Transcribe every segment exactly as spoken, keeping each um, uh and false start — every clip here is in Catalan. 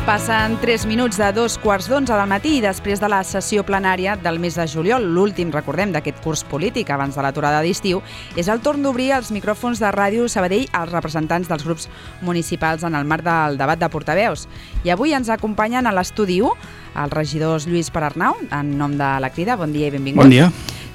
Passen tres minuts de dos quarts d'onze del matí i després de la sessió plenària del mes de juliol, l'últim, recordem, d'aquest curs polític abans de l'aturada d'estiu, és el torn d'obrir els micròfons de Ràdio Sabadell als representants dels grups municipals en el marc del debat de portaveus. I avui ens acompanyen a l'estudi u els regidors Lluís Perarnau, en nom de la Crida. Bon dia i benvinguts. Bon dia.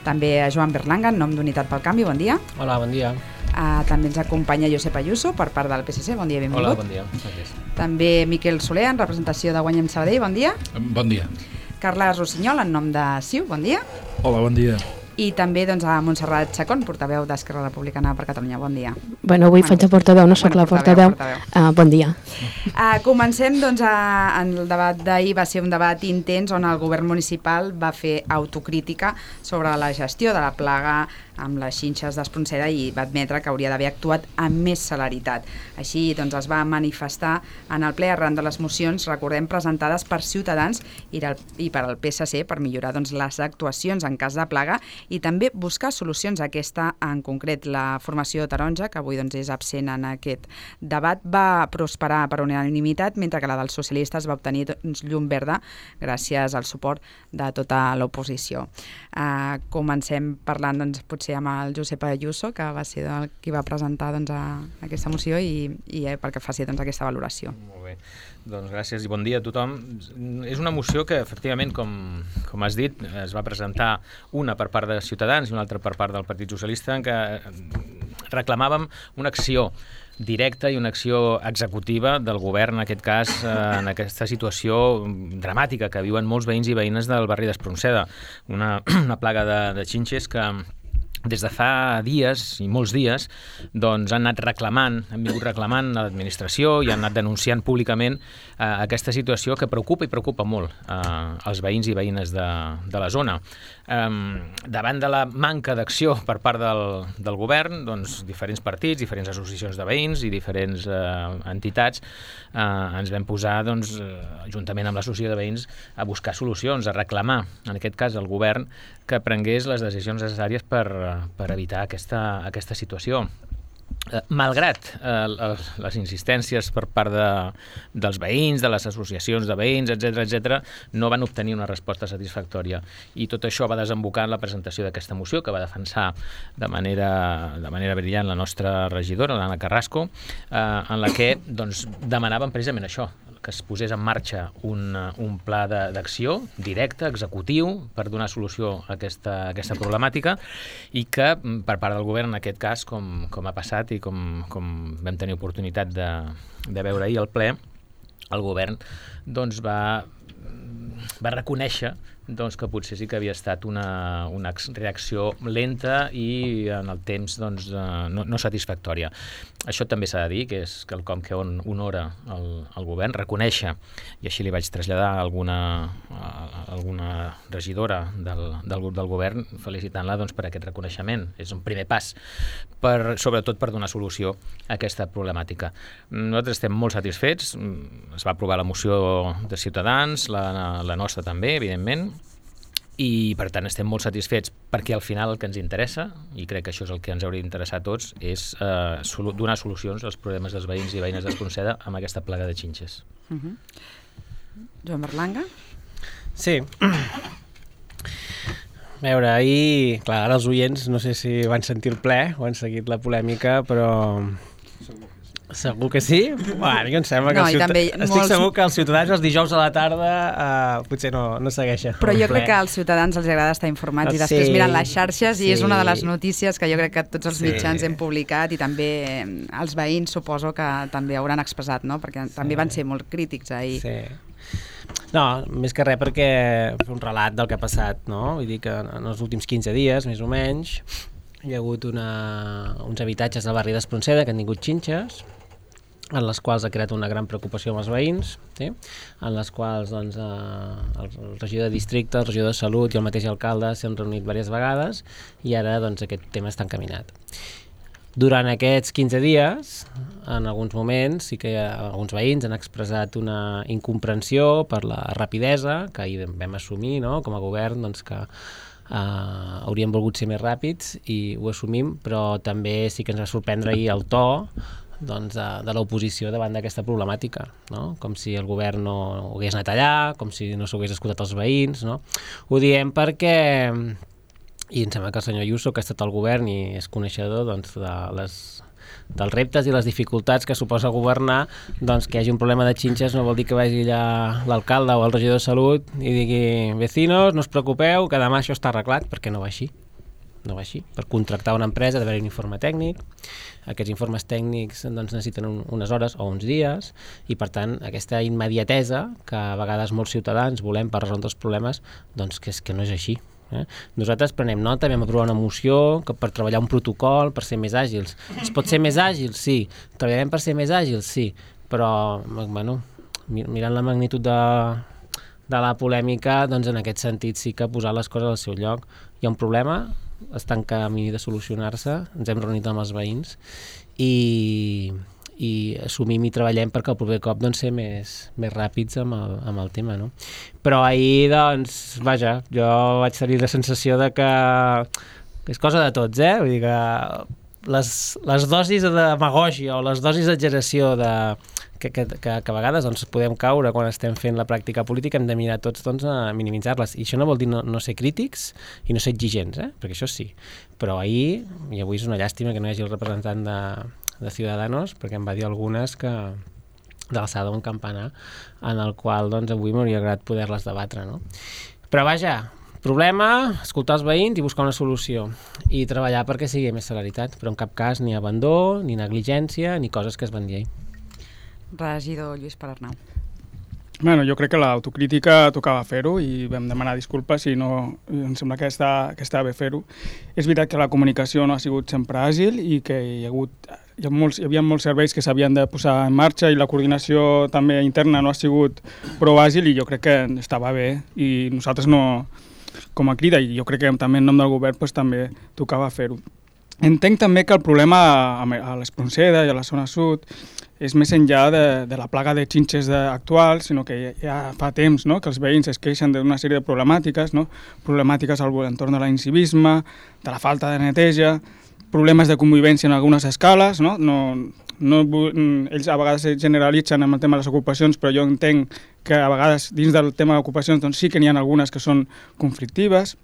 També a Joan Berlanga, en nom d'Unitat pel Canvi. Bon dia. Hola, bon dia. Uh, també ens acompanya Josep Ayuso per part del P S C. Bon dia i benvingut. Hola, bon dia. Gràcies. També Miquel Soler, en representació de Guanyem Sabadell. Bon dia. Bon dia. Carles Rossinyol, en nom de C I U. Bon dia. Hola, bon dia. I també doncs, a Montserrat Chacón, portaveu d'Esquerra Republicana per Catalunya. Bon dia. Bueno, avui bueno, faig de portaveu, no sóc bueno, la portaveu. portaveu. Uh, bon dia. Uh, comencem, doncs, a, en el debat d'ahir va ser un debat intens on el govern municipal va fer autocrítica sobre la gestió de la plaga amb les xinxes d'Espronceda i va admetre que hauria d'haver actuat amb més celeritat. Així doncs, es va manifestar en el ple arran de les mocions, recordem, presentades per Ciutadans i, el, i per al P S C per millorar doncs, les actuacions en cas de plaga i també buscar solucions a aquesta, en concret la formació taronja, que avui doncs, és absent en aquest debat, va prosperar per unanimitat, mentre que la dels socialistes va obtenir doncs, llum verda gràcies al suport de tota l'oposició. Uh, comencem parlant doncs, potser amb el Josep Ayuso, que va ser el qui va presentar doncs, a, a aquesta moció i, i eh, perquè faci doncs, aquesta valoració. Molt bé, doncs gràcies i bon dia a tothom. És una moció que efectivament, com, com has dit, es va presentar una per part de Ciutadans i una altra per part del Partit Socialista, en què reclamàvem una acció directa i una acció executiva del govern, en aquest cas, en aquesta situació dramàtica que viuen molts veïns i veïnes del barri d'Espronceda. Una, una plaga de, de xinxes que des de fa dies, i molts dies, doncs han anat reclamant, han vingut reclamant a l'administració i han anat denunciant públicament eh, aquesta situació que preocupa i preocupa molt eh, els veïns i veïnes de, de la zona. Um, davant de la manca d'acció per part del, del govern, doncs diferents partits, diferents associacions de veïns i diferents uh, entitats uh, ens vam posar, doncs, uh, juntament amb l'associació de veïns, a buscar solucions, a reclamar, en aquest cas, al govern que prengués les decisions necessàries per, per evitar aquesta, aquesta situació. Eh, malgrat eh, les insistències per part de, dels veïns, de les associacions de veïns, etcètera, etcètera, no van obtenir una resposta satisfactòria. I tot això va desembocar en la presentació d'aquesta moció que va defensar de manera, de manera brillant la nostra regidora, l'Anna Carrasco, eh, en la que doncs, demanàvem precisament això, que es posés en marxa un, un pla d'acció directe, executiu, per donar solució a aquesta, a aquesta problemàtica i que, per part del govern, en aquest cas, com, com ha passat i com, com vam tenir oportunitat de, de veure ahir al ple, el govern doncs, va, va reconèixer doncs, que potser sí que havia estat una, una reacció lenta i en el temps doncs, no, no satisfactòria. Això també s'ha de dir, que és quelcom que on honora el, el govern, reconèixer, i així li vaig traslladar a alguna, a alguna regidora del, del grup del govern, felicitant-la doncs, per aquest reconeixement. És un primer pas, per, sobretot per donar solució a aquesta problemàtica. Nosaltres estem molt satisfets, es va aprovar la moció de Ciutadans, la, la nostra també, evidentment, i per tant estem molt satisfets perquè al final el que ens interessa, i crec que això és el que ens hauria d'interessar a tots, és eh, solu donar solucions als problemes dels veïns i veïnes d'Espronceda amb aquesta plaga de xinxes. Uh -huh. Joan Berlanga? Sí. A veure, ahir, clar, ara els oients no sé si van sentir el ple o han seguit la polèmica, però segur que sí? Bueno, a mi em sembla que no, ciutat... estic molts... segur que els ciutadans els dijous a la tarda uh, potser no, no segueixen. Però jo crec que als ciutadans els agrada estar informats i després sí, miren les xarxes sí. I és una de les notícies que jo crec que tots els sí. mitjans hem publicat i també els veïns suposo que també hauran expressat, no? Perquè sí. també van ser molt crítics ahir. Sí. No, més que res perquè fer un relat del que ha passat, no? Vull dir que en els últims quinze dies, més o menys, hi ha hagut una, uns habitatges del barri d'Espronceda que han tingut xinxes, en les quals ha creat una gran preocupació amb els veïns, sí? En les quals doncs, eh, el regidor de districte, el regidor de salut i el mateix alcalde s'han reunit diverses vegades i ara doncs, aquest tema està encaminat. Durant aquests quinze dies, en alguns moments, sí que alguns veïns han expressat una incomprensió per la rapidesa que ahir vam assumir, no? Com a govern, doncs, que Uh, hauríem volgut ser més ràpids i ho assumim, però també sí que ens va sorprendre ahir el to doncs, de, de l'oposició davant d'aquesta problemàtica, no? Com si el govern no hagués anat allà, com si no s'hagués escoltat els veïns, no? Ho diem perquè, i em sembla que el senyor Ayuso, que ha estat al govern i és coneixedor doncs, de les, dels reptes i les dificultats que suposa governar, doncs que hi hagi un problema de xinxes no vol dir que vagi allà l'alcalde o el regidor de Salut i digui, vecinos, no us preocupeu, que demà això està arreglat, perquè no va així. No va així. Per contractar una empresa ha d'haver un informe tècnic, aquests informes tècnics doncs, necessiten un, unes hores o uns dies i per tant aquesta immediatesa que a vegades molts ciutadans volem per resoldre els problemes, doncs que, és, que no és així. Eh? Nosaltres prenem nota, vam aprovar una moció que per treballar un protocol, per ser més àgils. Es pot ser més àgil? Sí. Treballarem per ser més àgils? Sí. Però, bueno, mirant la magnitud de, de la polèmica, doncs en aquest sentit sí que posar les coses al seu lloc. Hi ha un problema, està en camí de solucionar-se, ens hem reunit amb els veïns i, i assumim i treballem perquè el proper cop doncs, ser més, més ràpids amb el, amb el tema, no? Però ahir, doncs, vaja, jo vaig tenir la sensació de que, que és cosa de tots, eh? Vull dir que les, les dosis de demagògia o les dosis d'exageració de, que, que, que, que a vegades doncs, podem caure quan estem fent la pràctica política, hem de mirar tots doncs, a minimitzar-les. I això no vol dir no, no ser crítics i no ser exigents, eh? Perquè això sí. Però ahir, i avui és una llàstima que no hi hagi el representant de, de Ciudadanos, perquè em va dir algunes que de l'alçada d'un campanar, en el qual doncs, avui m'hauria agradat poder-les debatre. No? Però vaja, problema, escoltar els veïns i buscar una solució i treballar perquè sigui més celeritat, però en cap cas ni abandó, ni negligència, ni coses que es van dir ahir. Regidor Lluís Pedernau. Bueno, jo crec que l'autocrítica tocava fer-ho i vam demanar disculpes i no, em sembla que està, que està bé fer-ho. És veritat que la comunicació no ha sigut sempre àgil i que hi ha hagut, hi, ha molts, hi havia molts serveis que s'havien de posar en marxa i la coordinació també interna no ha sigut prou àgil i jo crec que estava bé i nosaltres no, com a crida, i jo crec que també en nom del govern pues, també tocava fer-ho. Entenc també que el problema a l'Espronceda i a la zona sud és més enllà de, de la plaga de xinxes de, actual, sinó que ja fa temps no? que els veïns es queixen d'una sèrie de problemàtiques, no? problemàtiques al entorn de l'incivisme, de la falta de neteja, problemes de convivència en algunes escales, no? No, no, ells a vegades generalitzen amb el tema de les ocupacions, però jo entenc que a vegades dins del tema d'ocupacions doncs, sí que n'hi ha algunes que són conflictives.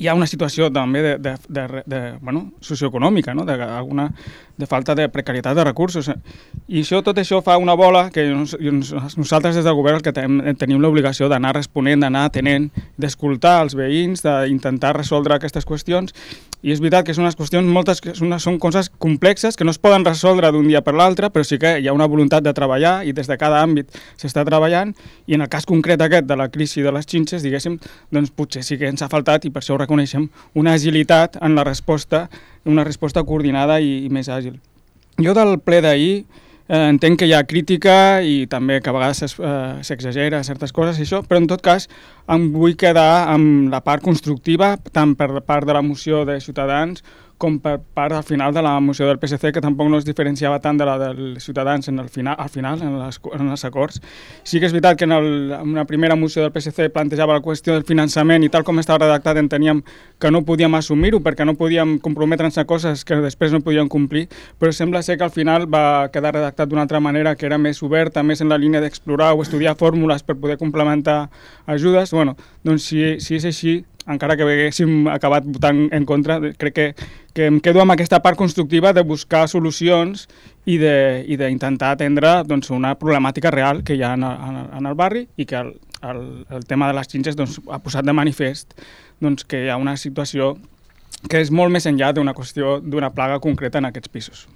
Hi ha una situació també de, de, de, de, bueno, socioeconòmica, no? de, alguna, de falta de precarietat de recursos. I això, tot això fa una bola que nosaltres des del govern el que tenim, tenim l'obligació d'anar responent, d'anar atenent, d'escoltar els veïns, d'intentar resoldre aquestes qüestions. I és veritat que són unes qüestions, moltes que són, són coses complexes que no es poden resoldre d'un dia per l'altre, però sí que hi ha una voluntat de treballar i des de cada àmbit s'està treballant i en el cas concret aquest de la crisi de les xinxes, diguéssim, doncs potser sí que ens ha faltat i per això ho reconeixem, una agilitat en la resposta, una resposta coordinada i, i més àgil. Jo del ple d'ahir eh, entenc que hi ha crítica i també que a vegades s'exagera eh, certes coses i això, però en tot cas em vull quedar amb la part constructiva tant per part de la moció de Ciutadans com per part al final de la moció del P S C, que tampoc no es diferenciava tant de la dels Ciutadans en el final, al final, en, les, en els acords. Sí que és veritat que en, el, en una primera moció del P S C plantejava la qüestió del finançament i tal com estava redactat enteníem que no podíem assumir-ho perquè no podíem comprometre'ns a coses que després no podíem complir, però sembla ser que al final va quedar redactat d'una altra manera que era més oberta, més en la línia d'explorar o estudiar fórmules per poder complementar ajudes. Bueno, doncs si, si és així, encara que haguéssim acabat votant en contra, crec que, que em quedo amb aquesta part constructiva de buscar solucions i d'intentar atendre doncs, una problemàtica real que hi ha en el, en el barri i que el, el, el tema de les xinxes doncs, ha posat de manifest doncs, que hi ha una situació que és molt més enllà d'una qüestió d'una plaga concreta en aquests pisos.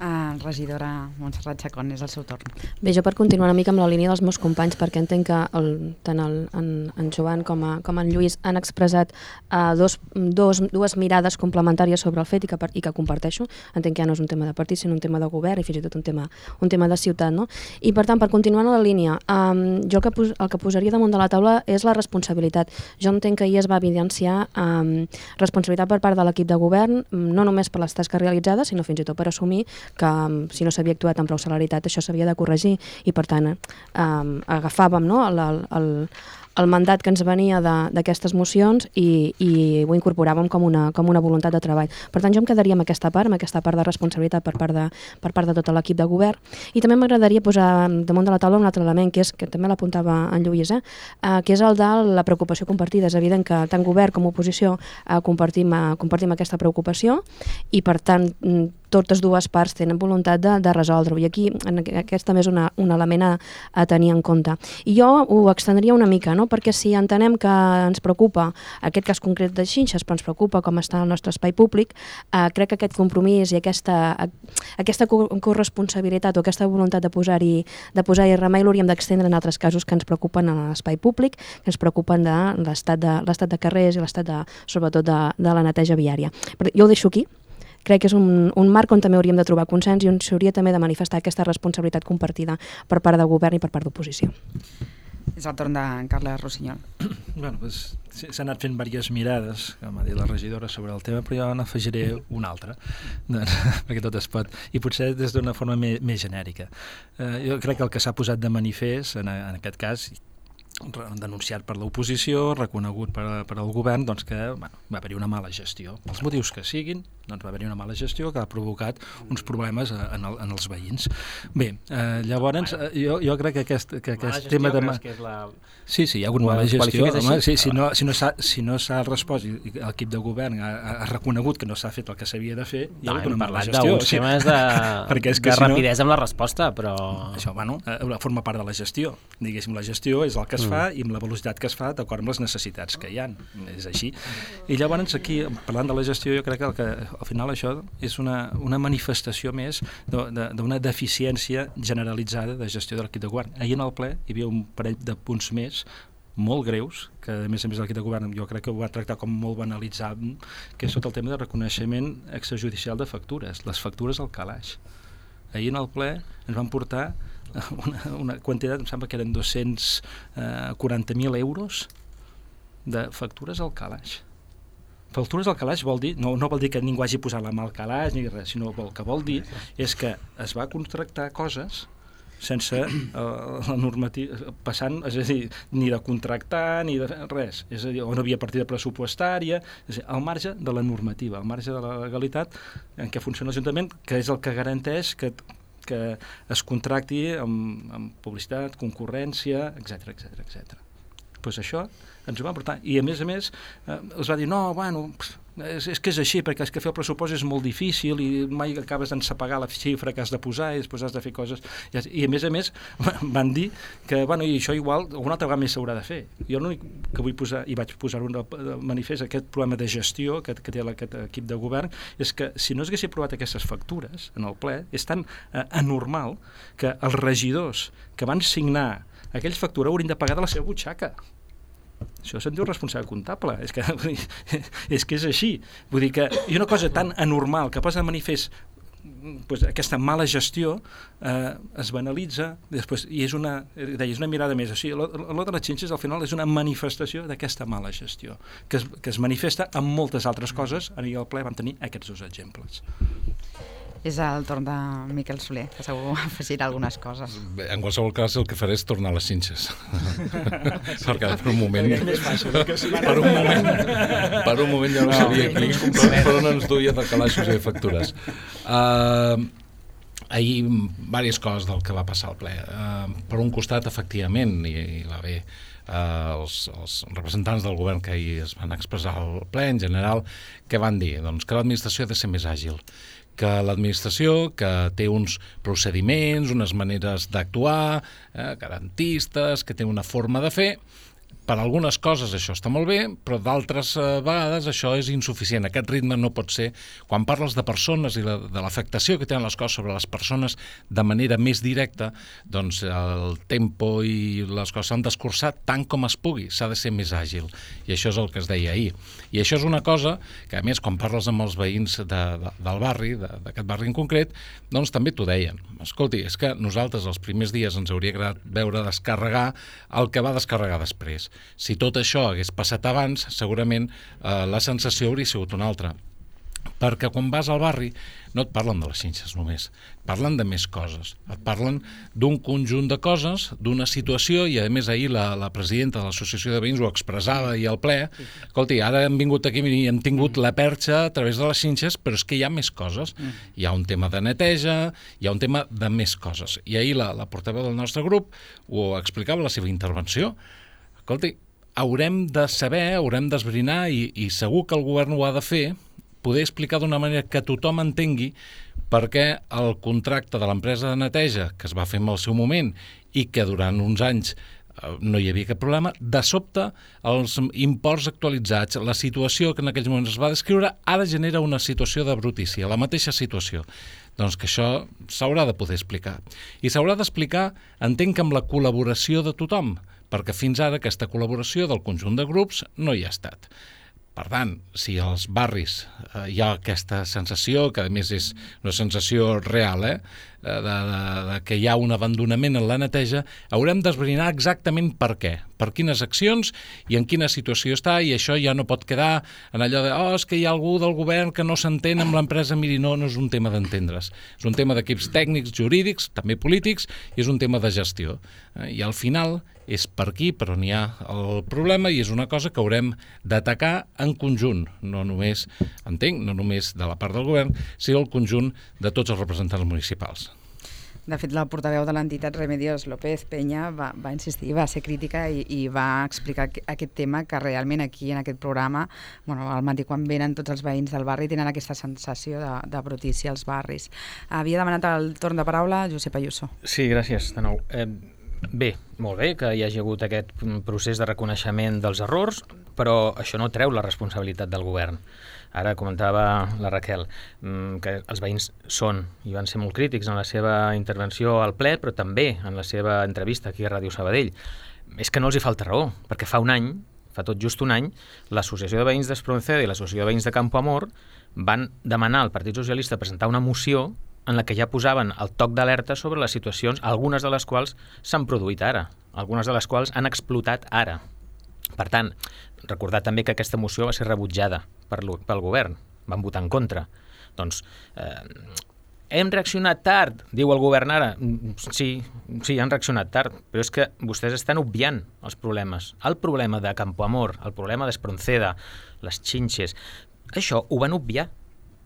Uh, regidora Montserrat Chacón, és el seu torn. Bé, jo per continuar una mica amb la línia dels meus companys, perquè entenc que el, tant el, en, en Joan com, a, com en Lluís han expressat uh, dos, dos, dues mirades complementàries sobre el fet i que, i que comparteixo. Entenc que ja no és un tema de partit, sinó un tema de govern i fins i tot un tema, un tema de ciutat. No? I per tant, per continuar en la línia, um, jo el que, pos, el que posaria damunt de la taula és la responsabilitat. Jo entenc que ahir es va evidenciar um, responsabilitat per part de l'equip de govern, no només per les tasques realitzades, sinó fins i tot per assumir que si no s'havia actuat amb prou celeritat això s'havia de corregir i per tant eh, agafàvem no, el, el, el mandat que ens venia d'aquestes mocions i, i ho incorporàvem com una, com una voluntat de treball. Per tant, jo em quedaria amb aquesta part, amb aquesta part de responsabilitat per part de, per part de tot l'equip de govern. I també m'agradaria posar damunt de la taula un altre element, que és, que també l'apuntava en Lluís, eh? Uh, que és el de la preocupació compartida. És evident que tant govern com oposició uh, compartim, uh, compartim aquesta preocupació i, per tant, totes dues parts tenen voluntat de, de resoldre-ho. I aquí en aquest també és una, un element a, a tenir en compte. I jo ho extendria una mica, no? Perquè si entenem que ens preocupa aquest cas concret de Xinxes, però ens preocupa com està el nostre espai públic, eh, crec que aquest compromís i aquesta, aquesta corresponsabilitat o aquesta voluntat de posar-hi de posar-hi remei l'hauríem d'extendre en altres casos que ens preocupen en l'espai públic, que ens preocupen de l'estat de, l'estat de carrers i l'estat, de, sobretot, de, de la neteja viària. Però jo ho deixo aquí. Crec que és un, un marc on també hauríem de trobar consens i on s'hauria també de manifestar aquesta responsabilitat compartida per part de govern i per part d'oposició. És el torn de Carles Rossinyol. Bueno, doncs, s'han anat fent diverses mirades, com ha dit la regidora, sobre el tema, però jo n'afegiré una altra, doncs, perquè tot es pot, i potser des d'una forma més, més genèrica. Eh, jo crec que el que s'ha posat de manifest, en, en aquest cas, denunciat per l'oposició, reconegut per, per al govern, doncs que bueno, va haver-hi una mala gestió. Els motius que siguin, doncs va haver-hi una mala gestió que ha provocat uns problemes en, el, en els veïns. Bé, eh, llavors, eh, jo, jo crec que aquest, que aquest tema de... Que és la... Sí, sí, hi ha hagut mala gestió. Home, sí, si no, si no s'ha si no respost i l'equip de govern ha, ha reconegut que no s'ha fet el que s'havia de fer, hi ha hagut una mala gestió. D'uns temes de, de si rapidesa no, amb la resposta, però... Això, bueno, forma part de la gestió. Diguéssim, la gestió és el que es fa i amb la velocitat que es fa d'acord amb les necessitats que hi ha. És així. I llavors aquí, parlant de la gestió, jo crec que, el que al final això és una, una manifestació més d'una deficiència generalitzada de gestió de l'equip de govern. Ahir en el ple hi havia un parell de punts més molt greus, que a més a més l'equip de govern jo crec que ho va tractar com molt banalitzat, que és tot el tema de reconeixement extrajudicial de factures, les factures al calaix. Ahir en el ple ens van portar una, una quantitat, em sembla que eren dos-cents quaranta mil euros de factures al calaix. Factures al calaix vol dir, no, no vol dir que ningú hagi posat la mà al calaix ni res, sinó el que vol dir és que es va contractar coses sense uh, la normativa, passant, és a dir, ni de contractar ni de res, és a dir, on no havia partida pressupostària, és a dir, al marge de la normativa, al marge de la legalitat en què funciona l'Ajuntament, que és el que garanteix que que es contracti amb, amb publicitat, concurrència, etcètera, etcètera, etcètera. Pues això ens ho va portar. I a més a més eh, els va dir, no, bueno, és, és que és així, perquè és que fer el pressupost és molt difícil i mai acabes d'ensapegar la xifra que has de posar i després has de fer coses. I a més a més van dir que, bueno, i això igual alguna altra vegada més s'haurà de fer. Jo l'únic que vull posar, i vaig posar un manifest, aquest problema de gestió que, que té aquest equip de govern, és que si no s'haguessin aprovat aquestes factures en el ple, és tan eh, anormal que els regidors que van signar aquells factures haurien de pagar de la seva butxaca. Això se'n diu responsable comptable. És que, és que és així. Vull dir que hi ha una cosa tan anormal que posa de manifest pues, aquesta mala gestió eh, es banalitza després, i és una, deia, és una mirada més. O sigui, allò de les Xinxes al final és una manifestació d'aquesta mala gestió que es, que es manifesta amb moltes altres coses. Ahir al ple vam tenir aquests dos exemples. És el torn de Miquel Soler, que segur afegirà algunes coses. Bé, en qualsevol cas, el que faré és tornar a les Xinxes. Perquè per un moment... per un moment, per un moment ja no sabia qui, per on ens duia de calaixos i factures. Uh, ahir, diverses coses del que va passar al ple. Uh, per un costat, efectivament, i, i va bé, uh, els, els representants del govern que ahir es van expressar al ple, en general, què van dir? Doncs que l'administració ha de ser més àgil, que l'administració, que té uns procediments, unes maneres d'actuar, eh, garantistes, que té una forma de fer. Per algunes coses això està molt bé, però d'altres eh, vegades això és insuficient. Aquest ritme no pot ser... Quan parles de persones i la, de l'afectació que tenen les coses sobre les persones de manera més directa, doncs el tempo i les coses s'han d'escurçar tant com es pugui. S'ha de ser més àgil. I això és el que es deia ahir. I això és una cosa que, a més, quan parles amb els veïns de, de, del barri, d'aquest barri en concret, doncs també t'ho deien. Escolti, és que nosaltres els primers dies ens hauria agradat veure descarregar el que va descarregar després. Si tot això hagués passat abans, segurament eh, la sensació hauria sigut una altra. perquè quan vas al barri no et parlen de les xinxes només, parlen de més coses, et parlen d'un conjunt de coses, d'una situació, i a més ahir la, la presidenta de l'associació de veïns ho expressava i al ple, escolti, ara hem vingut aquí i hem tingut la perxa a través de les xinxes, però és que hi ha més coses, hi ha un tema de neteja, hi ha un tema de més coses, i ahir la, la portaveu del nostre grup ho explicava a la seva intervenció. Escolti, haurem de saber, haurem d'esbrinar, i, i segur que el govern ho ha de fer, poder explicar d'una manera que tothom entengui per què el contracte de l'empresa de neteja, que es va fer en el seu moment i que durant uns anys no hi havia cap problema, de sobte els imports actualitzats, la situació que en aquells moments es va descriure, ara genera una situació de brutícia, la mateixa situació. Doncs que això s'haurà de poder explicar. I s'haurà d'explicar, entenc, amb la col·laboració de tothom, perquè fins ara aquesta col·laboració del conjunt de grups no hi ha estat. Per tant, si als barris eh, hi ha aquesta sensació, que a més és una sensació real, eh, de, de, de que hi ha un abandonament en la neteja, haurem d'esbrinar exactament per què, per quines accions i en quina situació està, i això ja no pot quedar en allò de oh, és que hi ha algú del govern que no s'entén amb l'empresa. Miri, no, no és un tema d'entendre's, és un tema d'equips tècnics, jurídics, també polítics, i és un tema de gestió. Eh, I al final és per aquí per on hi ha el problema, i és una cosa que haurem d'atacar en conjunt, no només, entenc, no només de la part del govern, sinó el conjunt de tots els representants municipals. De fet, la portaveu de l'entitat Remedios López Peña va, va insistir, va ser crítica i, i va explicar aquest tema, que realment aquí en aquest programa, bueno, al matí quan venen tots els veïns del barri tenen aquesta sensació de, de brutícia als barris. Havia demanat el torn de paraula Josep Ayuso. Sí, gràcies de nou. Eh, Bé, molt bé que hi hagi hagut aquest procés de reconeixement dels errors, però això no treu la responsabilitat del govern. Ara comentava la Raquel que els veïns són i van ser molt crítics en la seva intervenció al ple, però també en la seva entrevista aquí a Ràdio Sabadell. És que no els hi falta raó, perquè fa un any, fa tot just un any, l'Associació de Veïns d'Espronceda i l'Associació de Veïns de Campo Amor van demanar al Partit Socialista presentar una moció en la que ja posaven el toc d'alerta sobre les situacions, algunes de les quals s'han produït ara, algunes de les quals han explotat ara. Per tant, recordar també que aquesta moció va ser rebutjada per pel govern, van votar en contra. Doncs, eh, hem reaccionat tard, diu el govern ara. Sí, sí, han reaccionat tard, però és que vostès estan obviant els problemes. El problema de Campo Amor, el problema d'Espronceda, les xinxes, això ho van obviar.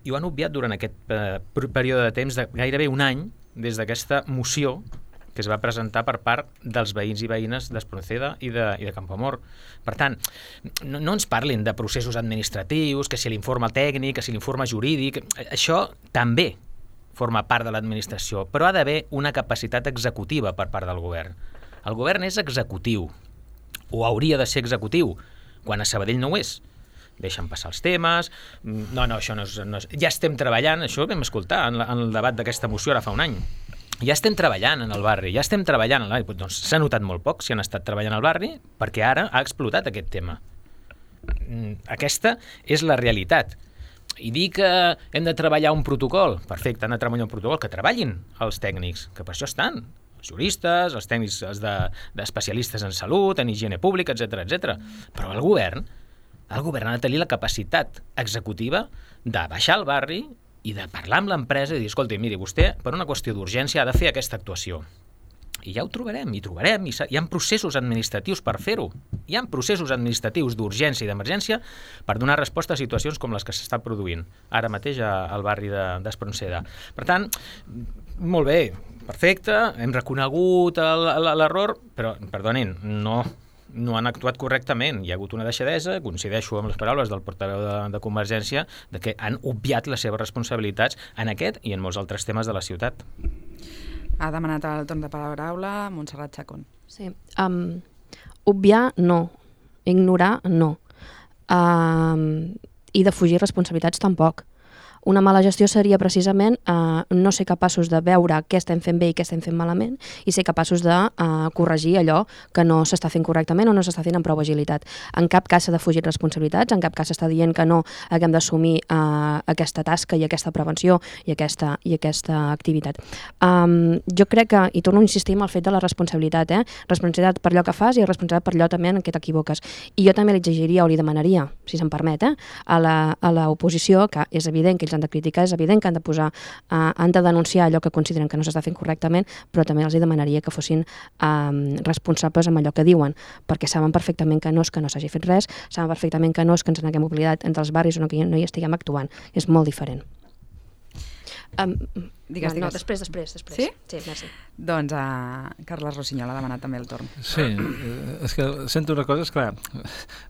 I ho han obviat durant aquest eh, període de temps de gairebé un any des d'aquesta moció que es va presentar per part dels veïns i veïnes d'Espronceda i de, i de Campo Amor. Per tant, no, no ens parlin de processos administratius, que si l'informe tècnic, que si l'informe jurídic, això també forma part de l'administració, però ha d'haver una capacitat executiva per part del govern. El govern és executiu, o hauria de ser executiu, quan a Sabadell no ho és. Deixen passar els temes, no, no, això no és, no és... Ja estem treballant, això vam escoltar en, la, en el debat d'aquesta moció ara fa un any. Ja estem treballant en el barri, ja estem treballant en el barri. Doncs s'ha notat molt poc si han estat treballant al barri, perquè ara ha explotat aquest tema. Aquesta és la realitat. I dir que hem de treballar un protocol, perfecte, han de treballar un protocol, que treballin els tècnics, que per això estan, els juristes, els tècnics d'especialistes de, en salut, en higiene pública, etcètera, etcètera. Però el govern El govern ha de tenir la capacitat executiva de baixar al barri i de parlar amb l'empresa i dir, escolta, miri, vostè per una qüestió d'urgència ha de fer aquesta actuació. I ja ho trobarem, i trobarem, i hi ha processos administratius per fer-ho. Hi ha processos administratius d'urgència i d'emergència per donar resposta a situacions com les que s'estan produint ara mateix al barri d'Espronceda. Per tant, molt bé, perfecte, hem reconegut l'error, però, perdonin, no... no han actuat correctament. Hi ha hagut una deixadesa, coincideixo amb les paraules del portaveu de, de Convergència, de que han obviat les seves responsabilitats en aquest i en molts altres temes de la ciutat. Ha demanat el torn de paraula Montserrat Chacón. Sí, um, obviar no, ignorar no, um, i defugir responsabilitats tampoc. una mala gestió seria precisament eh, no ser capaços de veure què estem fent bé i què estem fent malament i ser capaços de eh, corregir allò que no s'està fent correctament o no s'està fent amb prou agilitat. En cap cas s'ha de fugir responsabilitats, en cap cas s'està dient que no haguem d'assumir eh, aquesta tasca i aquesta prevenció i aquesta, i aquesta activitat. Um, jo crec que, i torno a insistir en el fet de la responsabilitat, eh? responsabilitat per allò que fas i responsabilitat per allò també en què t'equivoques. I jo també li exigiria o li demanaria, si se'm permet, eh? a l'oposició, que és evident que ells han de criticar, és evident que han de posar, uh, han de denunciar allò que consideren que no s'està fent correctament, però també els demanaria que fossin um, responsables amb allò que diuen, perquè saben perfectament que no és que no s'hagi fet res, saben perfectament que no és que ens n'haguem oblidat entre els barris o no, que no hi estiguem actuant. És molt diferent. Um, digues, no, digues. No, després, després, després. Sí? Sí, merci. Doncs uh, Carles Rossinyol ha demanat també el torn. Sí, és que sento una cosa, és clar,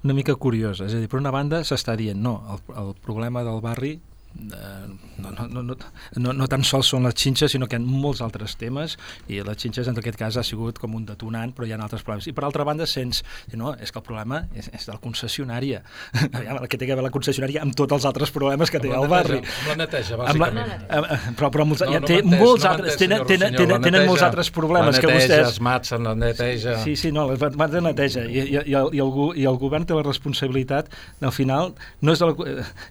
una mica curiosa. És a dir, per una banda s'està dient, no, el, el problema del barri Uh, no, no, no, no, no, no tan sols són les xinxes, sinó que hi ha molts altres temes, i les xinxes en aquest cas ha sigut com un detonant, però hi ha altres problemes. I per altra banda sents, no, és que el problema és, és de la concessionària. El que té a veure la concessionària amb tots els altres problemes que té el barri. Amb la neteja, bàsicament. Amb la, però però molts, no, ja, no té menteix, molts no altres, menteix, tenen, tenen, senyor, tenen, tenen neteja, molts altres problemes neteja, que vostès... es matsen, la neteja... Sí, sí, no, les mats de neteja. I, i, i, el, i, el, I el govern té la responsabilitat, al final, no és de, la,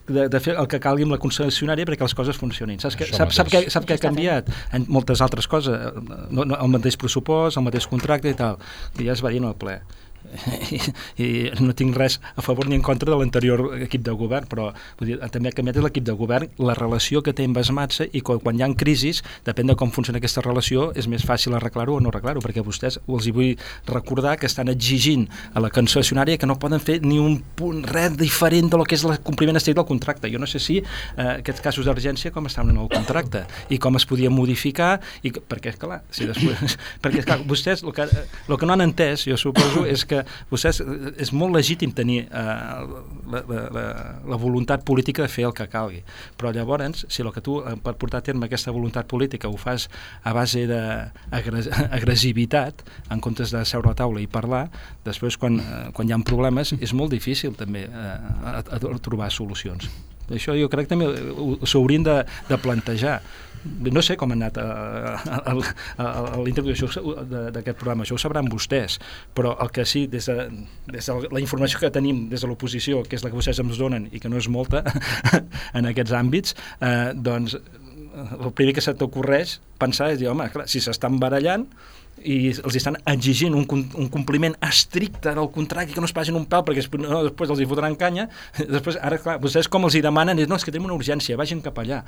de, de fer el que calgui amb la concessionària perquè els coses funcionin. Saps que, sap, sap, què, sap què ha canviat? En moltes altres coses. No, no, el mateix pressupost, el mateix contracte i tal. I ja es va dir en el ple. I, i no tinc res a favor ni en contra de l'anterior equip de govern, però vull dir, també ha canviat l'equip de govern, la relació que té amb Esmatsa, i quan, quan hi ha crisis, depèn de com funciona aquesta relació, és més fàcil arreglar-ho o no arreglar-ho, perquè vostès els hi vull recordar que estan exigint a la concessionària que no poden fer ni un punt, res diferent de lo que és el compliment estricte del contracte. Jo no sé si eh, aquests casos d'urgència com estaven en el contracte i com es podia modificar, i, perquè, clar, si després, perquè, clar, vostès el que, el que no han entès, jo suposo, és que vostès, és molt legítim tenir eh, la, la, la voluntat política de fer el que calgui, però llavors, si el que tu, per portar a terme aquesta voluntat política, ho fas a base d'agressivitat, en comptes de seure a la taula i parlar, després quan, eh, quan hi ha problemes és molt difícil també eh, a, a trobar solucions. Això jo crec que també s'haurien de, de plantejar. No sé com ha anat a la introducció d'aquest programa, això ho sabran vostès, però el que sí, des de, des de la informació que tenim des de l'oposició, que és la que vostès ens donen i que no és molta en aquests àmbits, eh, doncs el primer que se t'ocorreix pensar és dir, home, clar, si s'estan barallant i els estan exigint un, un compliment estricte del contracte, que no es pagin un pèl perquè no, després els hi fotran canya, després, ara, clar, vostès com els hi demanen és, no, és que tenim una urgència, vagin cap allà.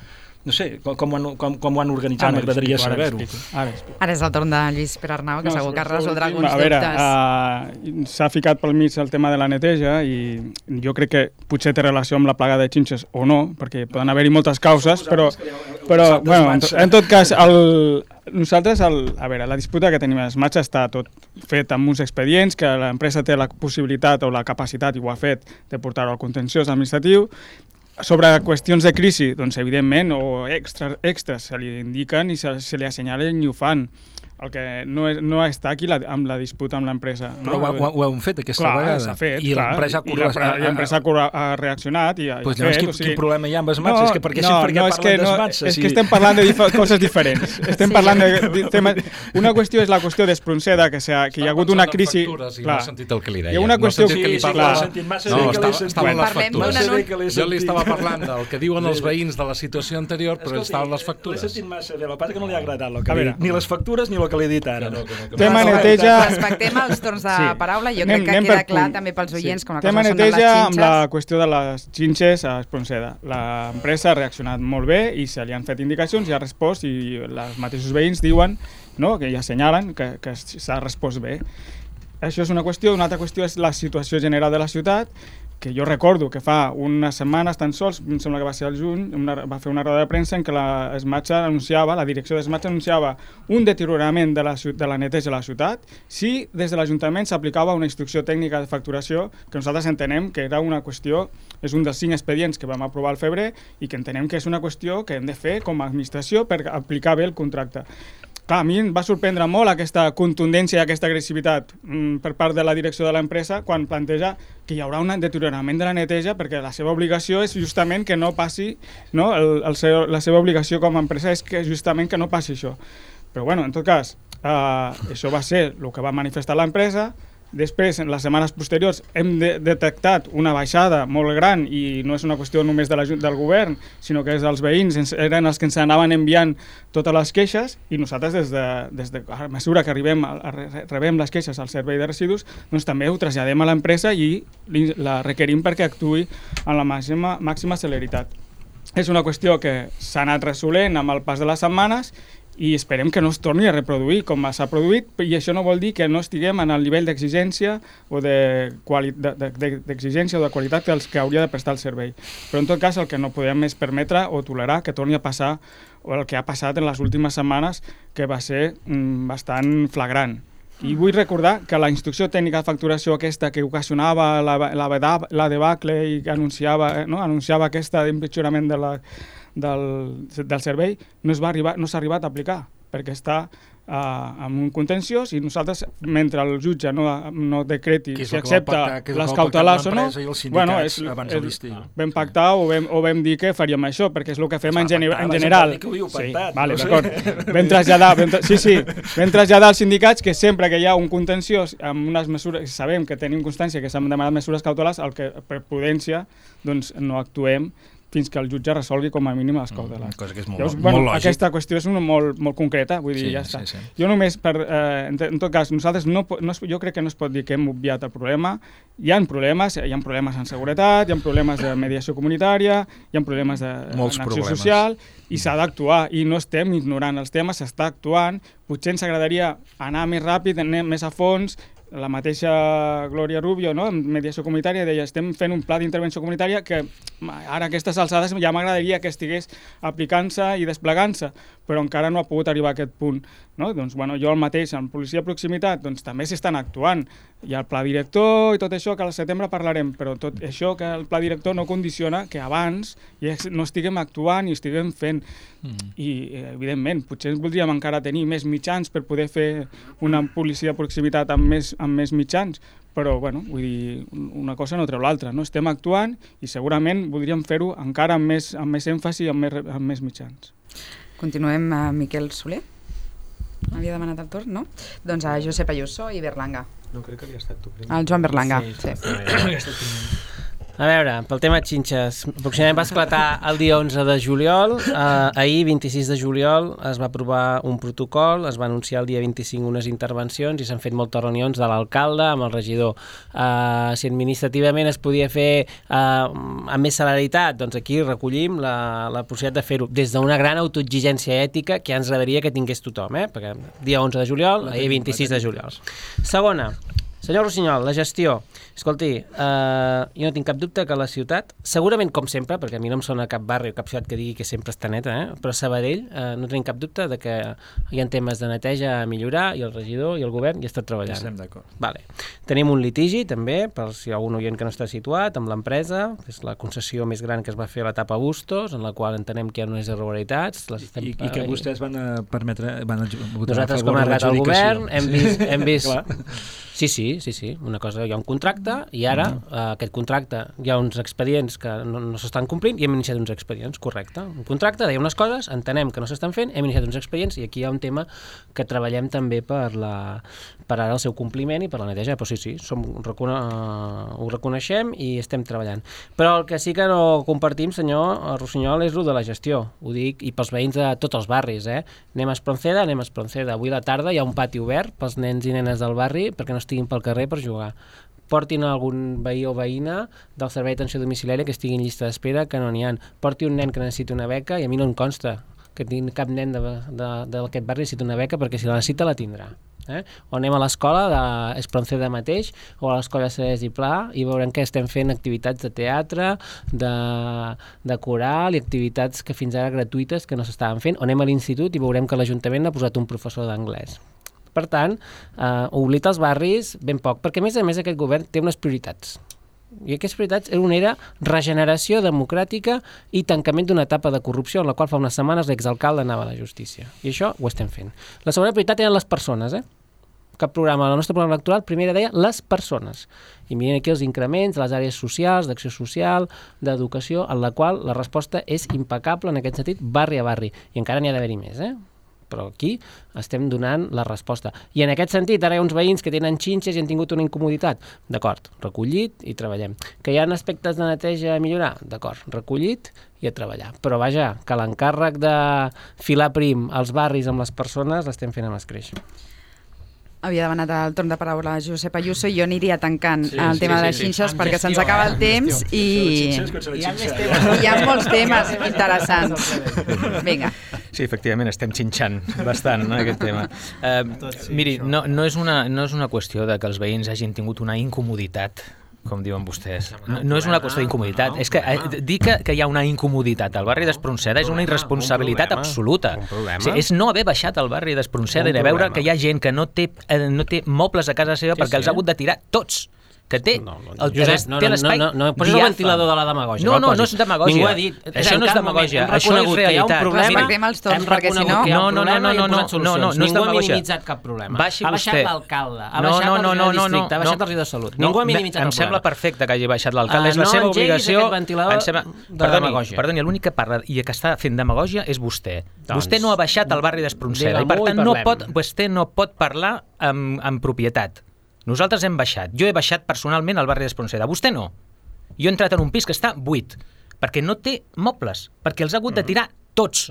No sé, com, com, ho, han, com, com ho han organitzat, m'agradaria saber-ho. Ara, ara és el torn de Lluís Pere Arnau, que no, segur que resoldrà alguns a veure, dubtes. Uh, s'ha ficat pel mig el tema de la neteja i jo crec que potser té relació amb la plaga de xinxes o no, perquè poden haver-hi moltes causes, però, però bueno, en, en tot cas, el, nosaltres, el, a veure, la disputa que tenim a Esmatsa està tot fet amb uns expedients que l'empresa té la possibilitat o la capacitat, i ho ha fet, de portar-ho al contenciós administratiu. Sobre qüestions de crisi, doncs evidentment, o extras, extras se li indiquen i se, se li assenyalen i ho fan. El que no, és, no està aquí la, amb la disputa amb l'empresa. Però no? ho, ho, ho hem fet aquesta clar, vegada. S'ha fet, I l'empresa ha, ha, ha reaccionat i ha, pues ha fet. Quin, o sigui, quin problema hi ha amb Esmatsa? No, és que perquè no, sempre no, que parlen no, d'Esmatsa... És si... que estem parlant de coses diferents. Estem sí. parlant de, de temes... Una qüestió és la qüestió d'Espronceda, que, que hi ha hagut una crisi... Factures, i no he sentit el que li deia. Hi ha una qüestió... No que li parla... No, estaven les factures. Jo li estava parlant del que diuen els veïns de la situació anterior, però estaven les factures. L'he sentit massa bé, el que no li ha agradat ni les factures ni el que li he dit ara. Tema neteja... Respectem els torns de sí. paraula, jo anem, crec que queda clar també pels oients sí. com a cosa Tema són de les neteja xinxes. Amb la qüestió de les xinxes a Espronceda. L'empresa ha reaccionat molt bé i se li han fet indicacions i ha respost, i els mateixos veïns diuen, no, que ja assenyalen que, que s'ha respost bé. Això és una qüestió. Una altra qüestió és la situació general de la ciutat, que jo recordo que fa unes setmanes tan sols, em sembla que va ser al juny, una, va fer una roda de premsa en què la Esmatsa anunciava, la direcció d'Esmatsa anunciava un deteriorament de la, de la neteja a la ciutat si des de l'Ajuntament s'aplicava una instrucció tècnica de facturació que nosaltres entenem que era una qüestió, és un dels cinc expedients que vam aprovar al febrer i que entenem que és una qüestió que hem de fer com a administració per aplicar bé el contracte. clar, a mi em va sorprendre molt aquesta contundència i aquesta agressivitat mm, per part de la direcció de l'empresa quan planteja que hi haurà un deteriorament de la neteja perquè la seva obligació és justament que no passi, no? El, el seu, la seva obligació com a empresa és que justament que no passi això. Però bueno, en tot cas, eh, això va ser el que va manifestar l'empresa. Després, en les setmanes posteriors, hem de detectat una baixada molt gran i no és una qüestió només de la, del govern, sinó que és dels veïns, ens, eren els que ens anaven enviant totes les queixes i nosaltres, des de, des de a mesura que arribem a, a, rebem les queixes al servei de residus, doncs també ho traslladem a l'empresa i la requerim perquè actuï en la màxima, màxima celeritat. És una qüestió que s'ha anat resolent amb el pas de les setmanes i esperem que no es torni a reproduir com s'ha produït, i això no vol dir que no estiguem en el nivell d'exigència o de d'exigència o de qualitat dels que hauria de prestar el servei. Però en tot cas el que no podem és permetre o tolerar que torni a passar o el que ha passat en les últimes setmanes, que va ser mm, bastant flagrant. I vull recordar que la instrucció tècnica de facturació aquesta que ocasionava la, la, la debacle i que anunciava, no? anunciava aquesta empitjorament de la Del, del servei no s'ha arribat, no arribat a aplicar perquè està uh, en un contenciós i nosaltres, mentre el jutge no, no decreti si accepta les cautelars o no, bueno, és, és, vam pactar o vam, o vam dir que faríem això perquè és el que fem en, gener, en general. Sí, vale, d'acord. Vam traslladar, vam, sí, sí, vam traslladar als sindicats que sempre que hi ha un contenciós amb unes mesures, sabem que tenim constància que s'han demanat mesures cautelars, el que per prudència doncs, no actuem fins que el jutge resolgui com a mínim les cautelars. Cosa que és molt, Llavors, bueno, molt lògic. Aquesta qüestió és una molt, molt concreta, vull dir, sí, ja està. Sí, sí. Jo només, per, eh, en, en tot cas, nosaltres no, no, jo crec que no es pot dir que hem obviat el problema. Hi ha problemes, hi ha problemes en seguretat, hi ha problemes de mediació comunitària, hi ha problemes d'acció social, i s'ha d'actuar, i no estem ignorant els temes, s'està actuant. Potser ens agradaria anar més ràpid, anar més a fons. La mateixa Glòria Rubio, no? En mediació comunitària, deia estem fent un pla d'intervenció comunitària que ara a aquestes alçades ja m'agradaria que estigués aplicant-se i desplegant-se, però encara no ha pogut arribar a aquest punt. No? Doncs, bueno, jo el mateix, en policia de proximitat, doncs, també s'estan actuant. Hi ha el pla director i tot això, que al setembre parlarem, però tot això que el pla director no condiciona que abans ja no estiguem actuant i estiguem fent. Mm. I, evidentment, potser voldríem encara tenir més mitjans per poder fer una policia de proximitat amb més, amb més mitjans, però, bueno, vull dir, una cosa no treu l'altra, no? Estem actuant i segurament voldríem fer-ho encara amb més, amb més èmfasi i amb més, amb més mitjans. Continuem a Miquel Soler. Havia demanat el torn, no? Doncs a Josep Ayuso i Berlanga. No, crec que havia estat tu. El Joan Berlanga, sí. sí. A veure, pel tema xinxes, aproximadament va esclatar el dia onze de juliol, eh, ahir, vint-i-sis de juliol, es va aprovar un protocol, es va anunciar el dia vint-i-cinc unes intervencions i s'han fet moltes reunions de l'alcalde amb el regidor. Eh, si administrativament es podia fer eh, amb més celeritat, doncs aquí recollim la, la possibilitat de fer-ho des d'una gran autoexigència ètica que ja ens agradaria que tingués tothom, eh? Perquè dia onze de juliol, ahir vint-i-sis de juliol. Segona, senyor Rossinyol, la gestió. Escolti, eh, jo no tinc cap dubte que la ciutat, segurament com sempre, perquè a mi no em sona cap barri o cap ciutat que digui que sempre està neta, eh? Però Sabadell, eh, no tenim cap dubte de que hi ha temes de neteja a millorar i el regidor i el govern hi està treballant. Estem d'acord. Vale. Tenim un litigi també, per si hi ha algun oient que no està situat, amb l'empresa, que és la concessió més gran que es va fer a l'etapa Bustos, en la qual entenem que hi ha unes irregularitats. Les estem... I, I que vostès van a permetre... Van a votar Nosaltres, com a arribat al govern, hem vist... Hem vist... Sí, sí, sí, sí. Una cosa, hi ha un contracte i ara uh, aquest contracte hi ha uns expedients que no, no s'estan complint i hem iniciat uns expedients, correcte. Un contracte deia unes coses, entenem que no s'estan fent, hem iniciat uns expedients i aquí hi ha un tema que treballem també per, la, per ara el seu compliment i per la neteja, però sí, sí, som, recone, uh, ho reconeixem i estem treballant. Però el que sí que no compartim, senyor Rossinyol, és el de la gestió. Ho dic, i pels veïns de tots els barris, eh? Anem a Espronceda, anem a Espronceda. Avui a la tarda hi ha un pati obert pels nens i nenes del barri perquè no estiguin pel carrer per jugar. Portin algun veí o veïna del servei d'atenció domiciliària que estigui en llista d'espera, que no n'hi ha. Porti un nen que necessita una beca i a mi no em consta que tingui cap nen d'aquest barri necessita una beca perquè si la necessita la tindrà. Eh? O anem a l'escola d'Espronceda mateix o a l'escola Cedès i Pla i veurem que estem fent activitats de teatre, de, de coral i activitats que fins ara gratuïtes que no s'estaven fent. O anem a l'institut i veurem que l'Ajuntament ha posat un professor d'anglès. Per tant, eh, oblida els barris ben poc, perquè a més a més aquest govern té unes prioritats. I aquestes prioritats una era regeneració democràtica i tancament d'una etapa de corrupció en la qual fa unes setmanes l'exalcalde anava a la justícia. I això ho estem fent. La segona prioritat eren les persones, eh? Cap programa, el nostre programa electoral, primera deia les persones. I miren aquí els increments de les àrees socials, d'acció social, d'educació, en la qual la resposta és impecable en aquest sentit, barri a barri. I encara n'hi ha d'haver-hi més, eh? Però aquí estem donant la resposta. I en aquest sentit, ara hi ha uns veïns que tenen xinxes i han tingut una incomoditat. D'acord, recollit i treballem. Que hi ha aspectes de neteja a millorar? D'acord, recollit i a treballar. Però vaja, que l'encàrrec de filar prim als barris amb les persones l'estem fent amb escreix. Havia demanat el torn de paraula a Josep Ayuso i jo aniria tancant sí, el sí, tema sí, de les sí. xinxes Amb perquè gestió, se'ns acaba eh? el temps i... I hi ha més temes. hi ha molts temes interessants. Vinga. Sí, efectivament, estem xinxant bastant, no, aquest tema. Uh, miri, no, no, és una, no és una qüestió de que els veïns hagin tingut una incomoditat, com diuen vostès. No, no és una qüestió d'incomoditat. És que eh, dir que, que hi ha una incomoditat al barri d'Espronceda és una irresponsabilitat absoluta. O sigui, és no haver baixat al barri d'Espronceda i de veure que hi ha gent que no té, eh, no té mobles a casa seva perquè els ha hagut de tirar tots. Que té, no, no, el, Josep, no, té l'espai no, no, no, posis el ventilador de la demagògia. No, no, no és demagògia. Ningú ha dit. Això no és demagògia, això és realitat. Respectem els torns, perquè si no... No, no, no, no, no, no, no, no, no és Ningú ha demagògia. minimitzat cap problema. Baixi ha baixat vostè. l'alcalde, ha No, baixat no, el no, regidor no, de districte, ha no, baixat no. el regidor de salut. No, Ningú ha me- minimitzat em el sembla problema. perfecte que hagi baixat l'alcalde, Ah, és la no seva engeguis obligació. aquest ventilador Em sembla... de Perdoni, demagògia. perdoni, l'únic que parla i que està fent demagògia és vostè. Doncs, Vostè no ha baixat al barri d'Espronceda i per digue-m'ho i tant no parlem. pot, vostè no pot parlar amb, amb propietat. Nosaltres hem baixat. Jo he baixat personalment al barri d'Espronceda. Vostè no. Jo he entrat en un pis que està buit, perquè no té mobles, perquè els ha hagut de tirar tots.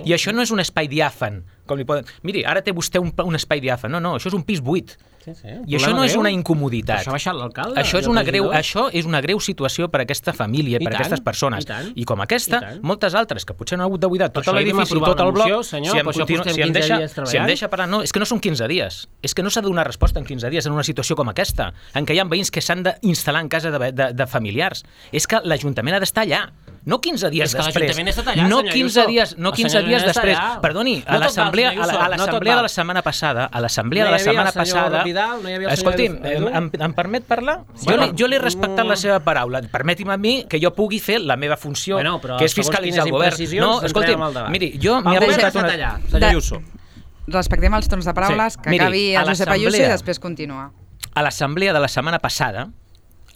I això no és un espai diàfan. Com li poden... Miri, ara té vostè un, un espai diàfan. No, no, això és un pis buit. Sí, sí, I això no és una incomoditat. Això ha baixat l'alcalde? Això és, una greu, això és una greu situació per a aquesta família, I per a tant, aquestes persones. i tant, I com aquesta, i tant. moltes altres, que potser no han hagut de buidar tot això ahir vam l'edifici i aprovar tot el una bloc, moció, senyor, si em, per això continu, portem si, em quinze deixa, dies treballant. si em deixa parlar, no, és que no són quinze dies, és que no s'ha de donar resposta en quinze dies en una situació com aquesta, en què hi ha veïns que s'han d'instal·lar en casa de, de, de familiars. És que l'Ajuntament ha d'estar allà. No quinze dies És que després. l'Ajuntament ha estat allà, no senyor quinze Ayuso. dies, no El quinze senyor dies Ayuso està després. allà. Perdoni, a No tot val, l'assemblea senyor a la- Ayuso, a no tot l'assemblea val. de la setmana passada, a l'assemblea No de hi la havia setmana el senyor passada... Vidal, no hi havia el senyor Escolti'm, Edu? em, em permet parlar? Jo Bueno, li, jo li he respectat la seva paraula. Permeti'm a mi que jo pugui fer la meva funció, Bueno, però que és segons fiscalitzar el quines govern. imprecisions No, entrem escolti'm, al debat. miri, jo m'he El govern apuntat ha una... estat allà, senyor De- Ayuso. Respectem els torns de paraules, Sí. que Miri, acabi a el Josep Ayuso i l'assemblea- després continua. A l'assemblea de la setmana passada,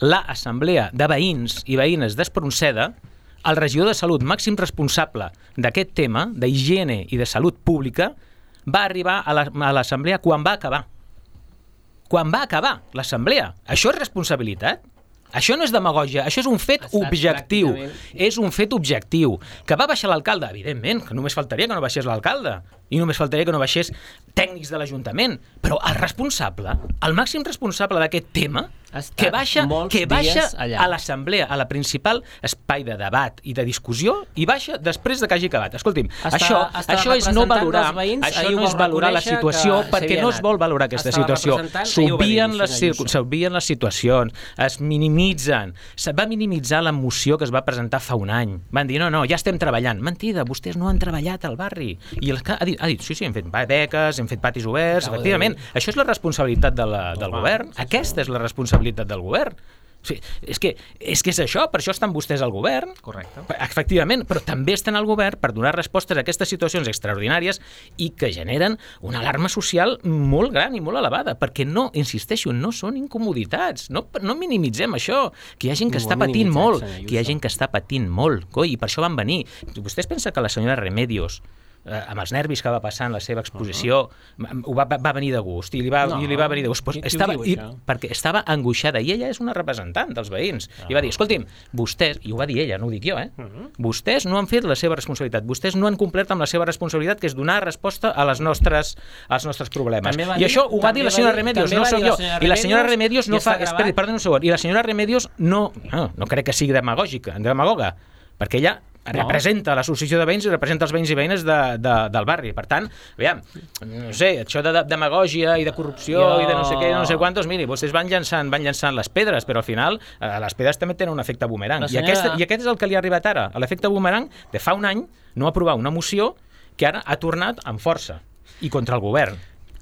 l'assemblea de veïns i veïnes d'Espronceda, el regidor de Salut, màxim responsable d'aquest tema, d'higiene i de salut pública, va arribar a la- a l'assemblea quan va acabar. Quan va acabar l'assemblea. Això és responsabilitat? Això no és demagògia, això és un fet estat objectiu. pràcticament- És un fet objectiu. Que va baixar l'alcalde? Evidentment, que només faltaria que no baixés l'alcalde. I només faltaria que no baixés tècnics de l'Ajuntament. Però el responsable, el màxim responsable d'aquest tema, Ha estat que baixa, molts que baixa dies allà. a l'assemblea, a la principal espai de debat i de discussió, i baixa després de que hagi acabat. Escolti'm, Està- això, està això és no representant valorar, dels veïns, això ahir no ho és va valorar la reconèixer situació, que perquè s'havia no es anat. vol valorar aquesta Estava situació. representant, ahir ho va dir, S'obvien les, senyor circu- Ayuso. s'obvien les situacions, es minimitzen. Se va minimitzar la moció que es va presentar fa un any. Van dir, no, no, ja estem treballant. Mentida, vostès no han treballat al barri. I el que ha dit, ha dit sí, sí, hem fet beques, hem fet patis oberts, Acaba de efectivament. Això és la responsabilitat de la, del Home, govern. sí, sí. Aquesta és la responsabilitat del govern. Sí, és, que, és que és això, per això estan vostès al govern. Correcte. Efectivament, però també estan al govern per donar respostes a aquestes situacions extraordinàries i que generen una alarma social molt gran i molt elevada, perquè no, insisteixo, no són incomoditats, no, no minimitzem això, que hi ha gent que Ningú està ha patint minimitzat, molt, senyor que hi ha Ayuso. gent que està patint molt, coi, i per això van venir. Vostès pensen que la senyora Remedios, eh, amb els nervis que va passar en la seva exposició, uh-huh. ho va, va venir de gust, i li va, No. i li va venir de gust. Pues Qui- qui ho estava, diu, i, això? perquè estava angoixada, i ella és una representant dels veïns, Ah. i va dir, escolti'm, vostès, i ho va dir ella, no ho dic jo, eh? Uh-huh. Vostès no han fet la seva responsabilitat, vostès no han complert amb la seva responsabilitat, que és donar resposta a les nostres, als nostres problemes. També va I dir- això ho va també dir la va senyora dir- Remedios, també no va sóc dir la jo. senyora I la senyora Remedios, Remedios no i fa... està Esperi, gravat. perdoni un segon. I la senyora Remedios no, no, no crec que sigui demagògica, demagoga, perquè ella representa l'associació de veïns i representa els veïns i veïnes de, de, del barri. Per tant, aviam, no sé, això de, de demagògia i de corrupció Jo- i de no sé què, no sé quantos, miri, vostès van llançant, van llançant les pedres, però al final eh, les pedres també tenen un efecte boomerang. La I, senyora- aquest, I aquest és el que li ha arribat ara, l'efecte boomerang de fa un any no aprovar una moció que ara ha tornat amb força i contra el govern.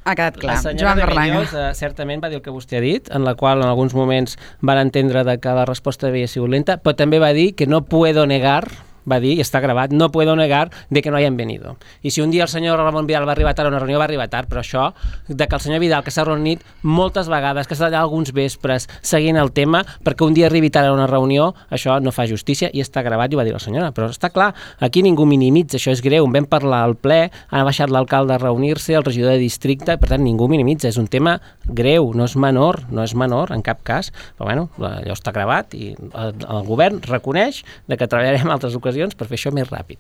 Ha quedat clar. La senyora Joan de Berlanga. Bellos eh, certament va dir el que vostè ha dit, en la qual en alguns moments van entendre de que la resposta havia sigut lenta, però també va dir que no puedo negar, va dir, i està gravat, no puedo negar de que no hayan venido. I si un dia el senyor Ramon Vidal va arribar tard a una reunió, va arribar tard, però això, de que el senyor Vidal, que s'ha reunit moltes vegades, que s'ha d'allà alguns vespres seguint el tema, perquè un dia arribi tard a una reunió, això no fa justícia, i està gravat, i ho va dir la senyora. Però està clar, aquí ningú minimitza, això és greu, en vam parlar al ple, ha baixat l'alcalde a reunir-se, el regidor de districte, per tant, ningú minimitza, és un tema greu, no és menor, no és menor, en cap cas, però bueno, allò està gravat, i el, el govern reconeix de que treballarem altres ocasions per fer això més ràpid.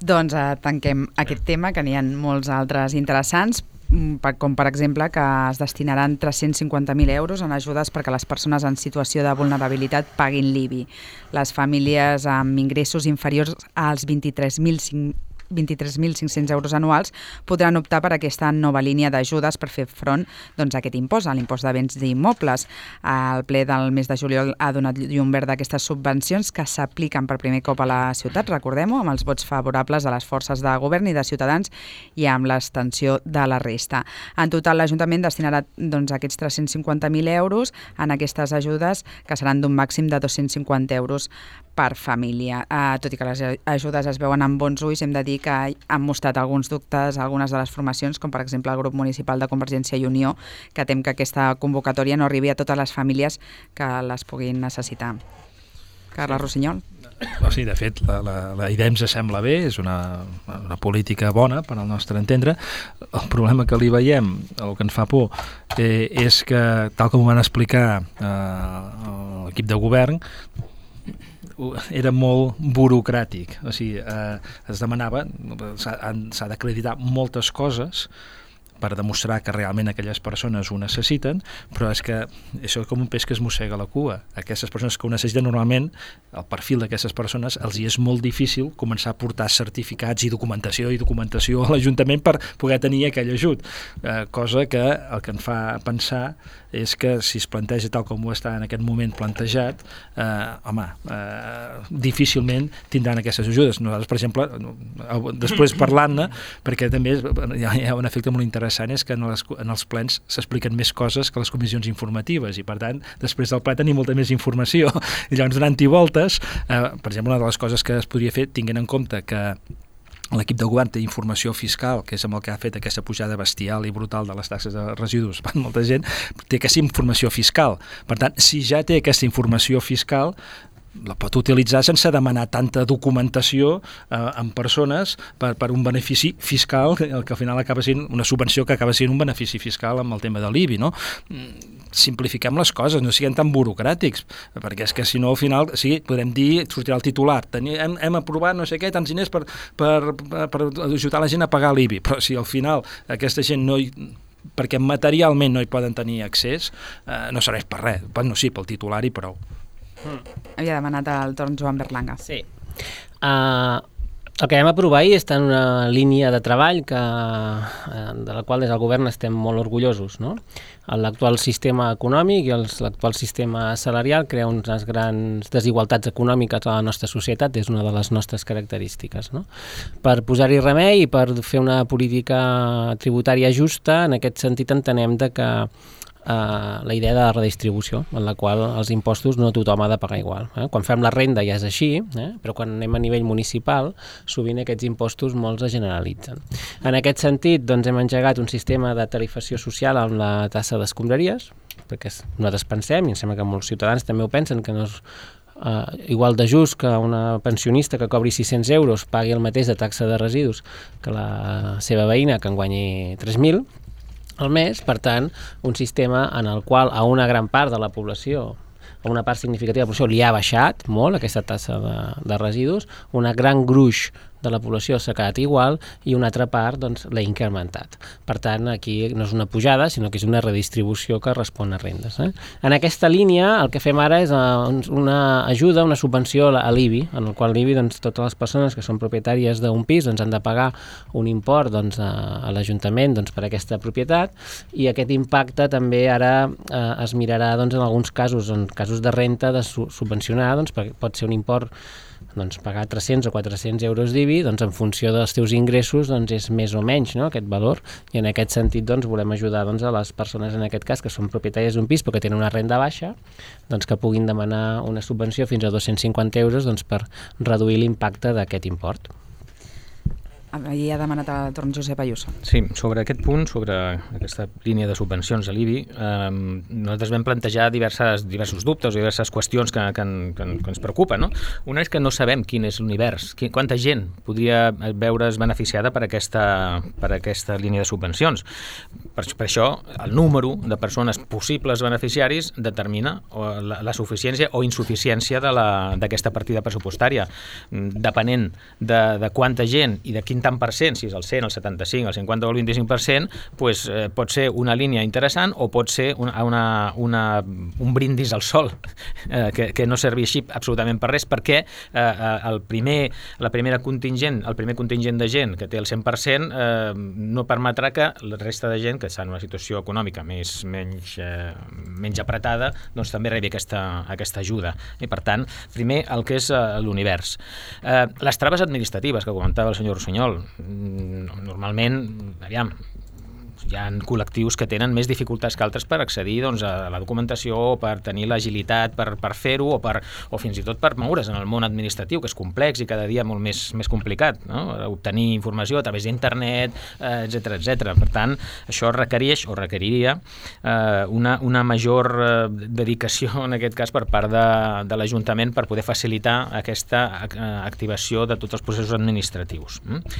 Doncs eh, tanquem aquest tema, que n'hi ha molts altres interessants, com per exemple que es destinaran tres-cents cinquanta mil euros en ajudes perquè les persones en situació de vulnerabilitat paguin l'I B I. Les famílies amb ingressos inferiors als vint-i-tres mil cinc-cents euros anuals podran optar per aquesta nova línia d'ajudes per fer front doncs, a aquest impost, a l'impost de béns d'immobles. El ple del mes de juliol ha donat llum verd d'aquestes subvencions que s'apliquen per primer cop a la ciutat, recordem-ho, amb els vots favorables de les forces de govern i de Ciutadans i amb l'extensió de la resta. En total, l'Ajuntament destinarà doncs, aquests tres-cents cinquanta mil euros en aquestes ajudes, que seran d'un màxim de dos-cents cinquanta euros per família. Uh, tot i que les ajudes es veuen amb bons ulls, hem de dir que han mostrat alguns dubtes a algunes de les formacions, com per exemple el grup municipal de Convergència i Unió, que tem que aquesta convocatòria no arribi a totes les famílies que les puguin necessitar. Carles Rossinyol. Sí, de fet, la, la, la idea ens sembla bé, és una, una política bona per al nostre entendre. El problema que li veiem, el que ens fa por, eh, és que, tal com ho van explicar eh, l'equip de govern, era molt burocràtic, o sigui, eh, es demanava, s'ha d'acreditar moltes coses per demostrar que realment aquelles persones ho necessiten, però és que això és com un peix que es mossega la cua. Aquestes persones que ho necessiten, normalment, el perfil d'aquestes persones, els hi és molt difícil començar a portar certificats i documentació i documentació a l'Ajuntament per poder tenir aquell ajut, eh, cosa que el que em fa pensar és que si es planteja tal com ho està en aquest moment plantejat, eh, home, eh, difícilment tindran aquestes ajudes. Nosaltres, per exemple, després parlant-ne, perquè també hi ha, hi ha un efecte molt interessant, és que en, les, en els plens s'expliquen més coses que les comissions informatives, i per tant, després del ple tenim molta més informació. I llavors, donant-hi voltes, eh, per exemple, una de les coses que es podria fer, tinguent en compte que l'equip de govern té informació fiscal, que és amb el que ha fet aquesta pujada bestial i brutal de les taxes de residus per molta gent, té aquesta informació fiscal. Per tant, si ja té aquesta informació fiscal, la pot utilitzar sense demanar tanta documentació eh, en persones per, per un benefici fiscal, el que al final acaba sent una subvenció que acaba sent un benefici fiscal amb el tema de l'I B I, no? Simplifiquem les coses, no siguem tan burocràtics, perquè és que si no al final sí, podem dir, sortirà el titular, Teni, hem, hem aprovat no sé què, tants diners per, per, per, per ajudar la gent a pagar l'I B I, però si al final aquesta gent no hi, perquè materialment no hi poden tenir accés, eh, no serveix per res, bueno, sí, pel titular i prou. Mm. Havia demanat el torn Joan Berlanga. Sí. Uh, el que vam aprovar ahir està en una línia de treball que, uh, de la qual des del govern estem molt orgullosos, no? L'actual sistema econòmic i l'actual sistema salarial crea unes grans desigualtats econòmiques a la nostra societat, és una de les nostres característiques, no? Per posar-hi remei i per fer una política tributària justa, en aquest sentit entenem de que Uh, la idea de la redistribució, en la qual els impostos no tothom ha de pagar igual. Eh? Quan fem la renda ja és així, eh? Però quan anem a nivell municipal, sovint aquests impostos molts es generalitzen. En aquest sentit, doncs, hem engegat un sistema de tarifació social amb la tassa d'escombraries, perquè nosaltres pensem, i em sembla que molts ciutadans també ho pensen, que no és uh, igual de just que una pensionista que cobri sis-cents euros pagui el mateix de taxa de residus que la seva veïna que en guanyi tres mil al mes, per tant, un sistema en el qual a una gran part de la població, a una part significativa de la població li ha baixat molt aquesta tassa de, de residus, una gran gruix de la població s'ha quedat igual i una altra part doncs, l'ha incrementat. Per tant, aquí no és una pujada, sinó que és una redistribució que respon a rendes. Eh? En aquesta línia, el que fem ara és una ajuda, una subvenció a l'I B I, en el qual l'I B I, doncs, totes les persones que són propietàries d'un pis doncs, han de pagar un import doncs, a, a l'Ajuntament doncs, per aquesta propietat, i aquest impacte també ara eh, es mirarà doncs, en alguns casos, en casos de renta, de su subvencionar, doncs, perquè pot ser un import doncs, pagar tres-cents o quatre-cents euros d'I B l'I B I, doncs en funció dels teus ingressos doncs és més o menys, no?, aquest valor, i en aquest sentit doncs volem ajudar doncs, a les persones en aquest cas que són propietàries d'un pis però que tenen una renda baixa, doncs que puguin demanar una subvenció fins a dos-cents cinquanta euros doncs, per reduir l'impacte d'aquest import. Ahir ha demanat el torn Josep Ayuso. Sí, sobre aquest punt, sobre aquesta línia de subvencions a l'I B I, eh, nosaltres vam plantejar diverses, diversos dubtes o diverses qüestions que, que, que, que ens preocupen. No? Una és que no sabem quin és l'univers, quanta gent podria veure's beneficiada per aquesta, per aquesta línia de subvencions. Per, per això, el número de persones possibles beneficiaris determina la, la suficiència o insuficiència d'aquesta partida pressupostària. Depenent de, de quanta gent i de quin tant per cent, si és el cent, el setanta-cinc, el cinquanta o el vint-i-cinc per cent, pues, eh, pot ser una línia interessant o pot ser una, una, una, un brindis al sol, eh, que, que no serveixi absolutament per res, perquè eh, el primer, la primera contingent, el primer contingent de gent que té el cent per cent eh, no permetrà que la resta de gent que està en una situació econòmica més, menys, eh, menys apretada doncs també rebi aquesta, aquesta ajuda. I per tant, primer el que és eh, l'univers. Eh, les traves administratives que comentava el senyor Rossinyol, normalment, aviam, hi ha col·lectius que tenen més dificultats que altres per accedir doncs, a la documentació, per tenir l'agilitat per, per fer-ho, o, per, o fins i tot per moure's en el món administratiu, que és complex i cada dia molt més, més complicat, no? Obtenir informació a través d'internet, eh, etcètera, etcètera. Per tant, això requereix o requeriria eh, una, una major eh, dedicació, en aquest cas, per part de, de l'Ajuntament per poder facilitar aquesta eh, activació de tots els processos administratius. Mm?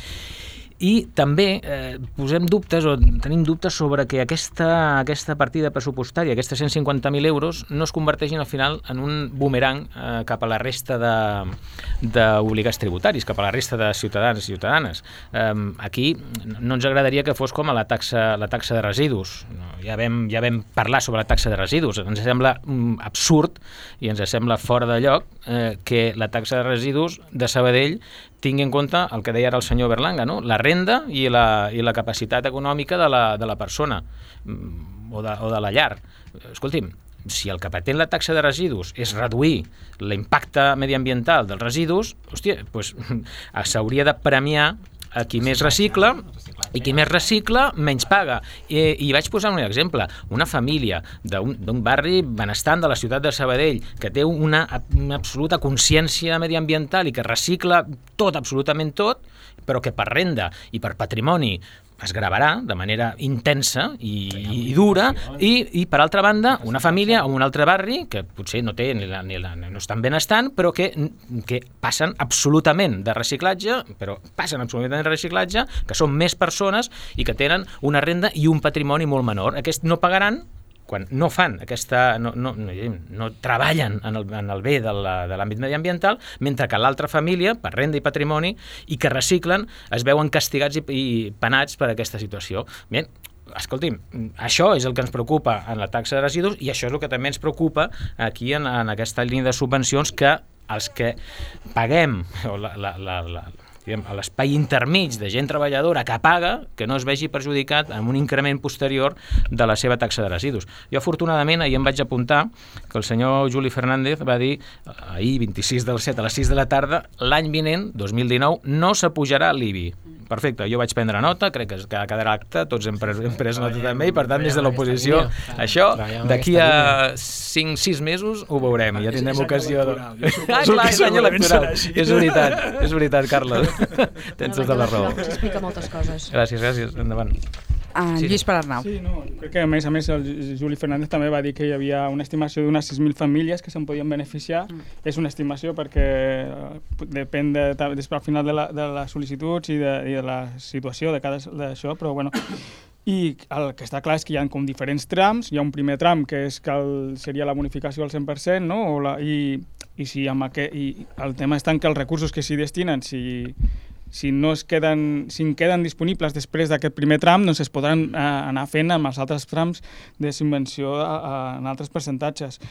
I també eh, posem dubtes o tenim dubtes sobre que aquesta, aquesta partida pressupostària, aquests cent cinquanta mil euros, no es converteixin al final en un bumerang eh, cap a la resta d'obligats tributaris, cap a la resta de ciutadans i ciutadanes. Eh, aquí no ens agradaria que fos com a la taxa, la taxa de residus. Ja vam, ja vam parlar sobre la taxa de residus. Ens sembla mm, absurd i ens sembla fora de lloc eh, que la taxa de residus de Sabadell tingui en compte el que deia ara el senyor Berlanga, no? La renda i la, i la capacitat econòmica de la, de la persona o de, o de la llar. Escolti'm, si el que pretén la taxa de residus és reduir l'impacte mediambiental dels residus, hòstia, doncs s'hauria de premiar a qui més recicla, i qui més recicla menys paga. I, i vaig posar un exemple. Una família d'un barri benestant de la ciutat de Sabadell que té una, una absoluta consciència mediambiental i que recicla tot, absolutament tot, però que per renda i per patrimoni es gravarà de manera intensa i, i dura, i, i per altra banda una família o un altre barri que potser no té ni la, ni la, no és tan benestant, però que, que passen absolutament de reciclatge, però passen absolutament de reciclatge, que són més persones i que tenen una renda i un patrimoni molt menor. Aquests no pagaran quan no fan aquesta, no, no, no, no treballen en el, en el bé de l'àmbit mediambiental, mentre que l'altra família, per renda i patrimoni, i que reciclen, es veuen castigats i, i penats per aquesta situació. Bé, escolti'm, això és el que ens preocupa en la taxa de residus i això és el que també ens preocupa aquí en, en aquesta línia de subvencions, que els que paguem o la, la, la, la a l'espai intermig de gent treballadora que paga, que no es vegi perjudicat amb un increment posterior de la seva taxa de residus. Jo, afortunadament, ahir em vaig apuntar que el senyor Juli Fernández va dir ahir, vint-i-sis del set a les sis de la tarda, l'any vinent, dos mil dinou, no s'apujarà l'I B I. Perfecte, jo vaig prendre nota, crec que quedarà acte, tots hem pres, hem pres nota també, i per tant, des de l'oposició, això, d'aquí a cinc sis mesos ho veurem, ja tindrem ocasió de... Ah, clar, és any electoral, és veritat, és veritat, Carles. Tens tota la raó. Ens explica moltes coses. Gràcies, gràcies, endavant. Uh, sí. Lluís Palarnau. Sí, no, crec que a més a més el Juli Fernández també va dir que hi havia una estimació d'unes sis mil famílies que se'n podien beneficiar. Mm. És una estimació perquè depèn de, de, de, al final de, la, de les sol·licituds i de, i de la situació de cada d'això, però bueno. I el que està clar és que hi ha com diferents trams. Hi ha un primer tram que és que el, seria la bonificació al cent per cent, no? O la, i, i, si amb aquest, i el tema està en que els recursos que s'hi destinen, si, si no es queden, si en queden disponibles després d'aquest primer tram, doncs es podran eh, anar fent amb els altres trams de subvenció a, a, en altres percentatges.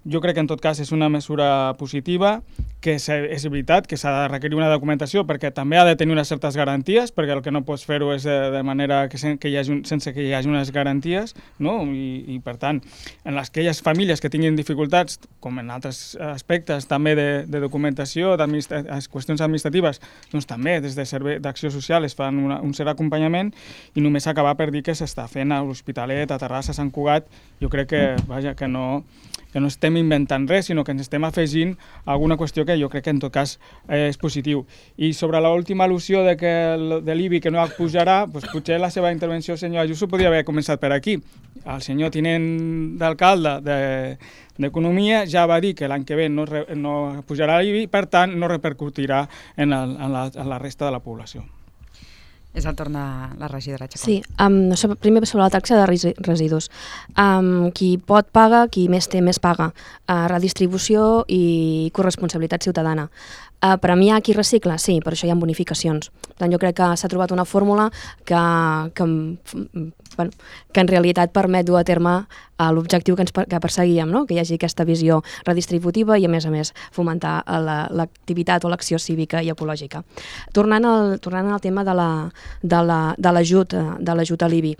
Jo crec que en tot cas és una mesura positiva, que és veritat que s'ha de requerir una documentació perquè també ha de tenir unes certes garanties, perquè el que no pots fer-ho és de, de manera que, sen, que hi hagi un, sense que hi hagi unes garanties, no? I, i per tant, en les aquelles famílies que tinguin dificultats, com en altres aspectes també de, de documentació, qüestions administratives, doncs també des de servei d'acció social es fan una, un cert acompanyament, i només acabar per dir que s'està fent a l'Hospitalet, a Terrassa, a Sant Cugat. Jo crec que, vaja, que no... que no estem inventant res, sinó que ens estem afegint alguna qüestió que jo crec que en tot cas eh, és positiu. I sobre l'última al·lusió de, que el, de l'I B I que no pujarà, doncs potser la seva intervenció, senyor Ayuso, podria haver començat per aquí. El senyor tinent d'alcalde d'Economia ja va dir que l'any que ve no, no pujarà l'I B I, per tant no repercutirà en, el, en, la, en la resta de la població. És el torn de la regidora Chacón. Sí, um, sobre, primer sobre la taxa de residus. Um, qui pot paga, qui més té més paga. Uh, redistribució i corresponsabilitat ciutadana. Uh, premiar qui recicla? Sí, per això hi ha bonificacions. Per tant, jo crec que s'ha trobat una fórmula que, que, bueno, que en realitat permet dur a terme uh, l'objectiu que, ens, que perseguíem, no? Que hi hagi aquesta visió redistributiva i, a més a més, fomentar l'activitat o l'acció cívica i ecològica. Tornant al, tornant al tema de la de l'ajut de l'ajut a l'I B I.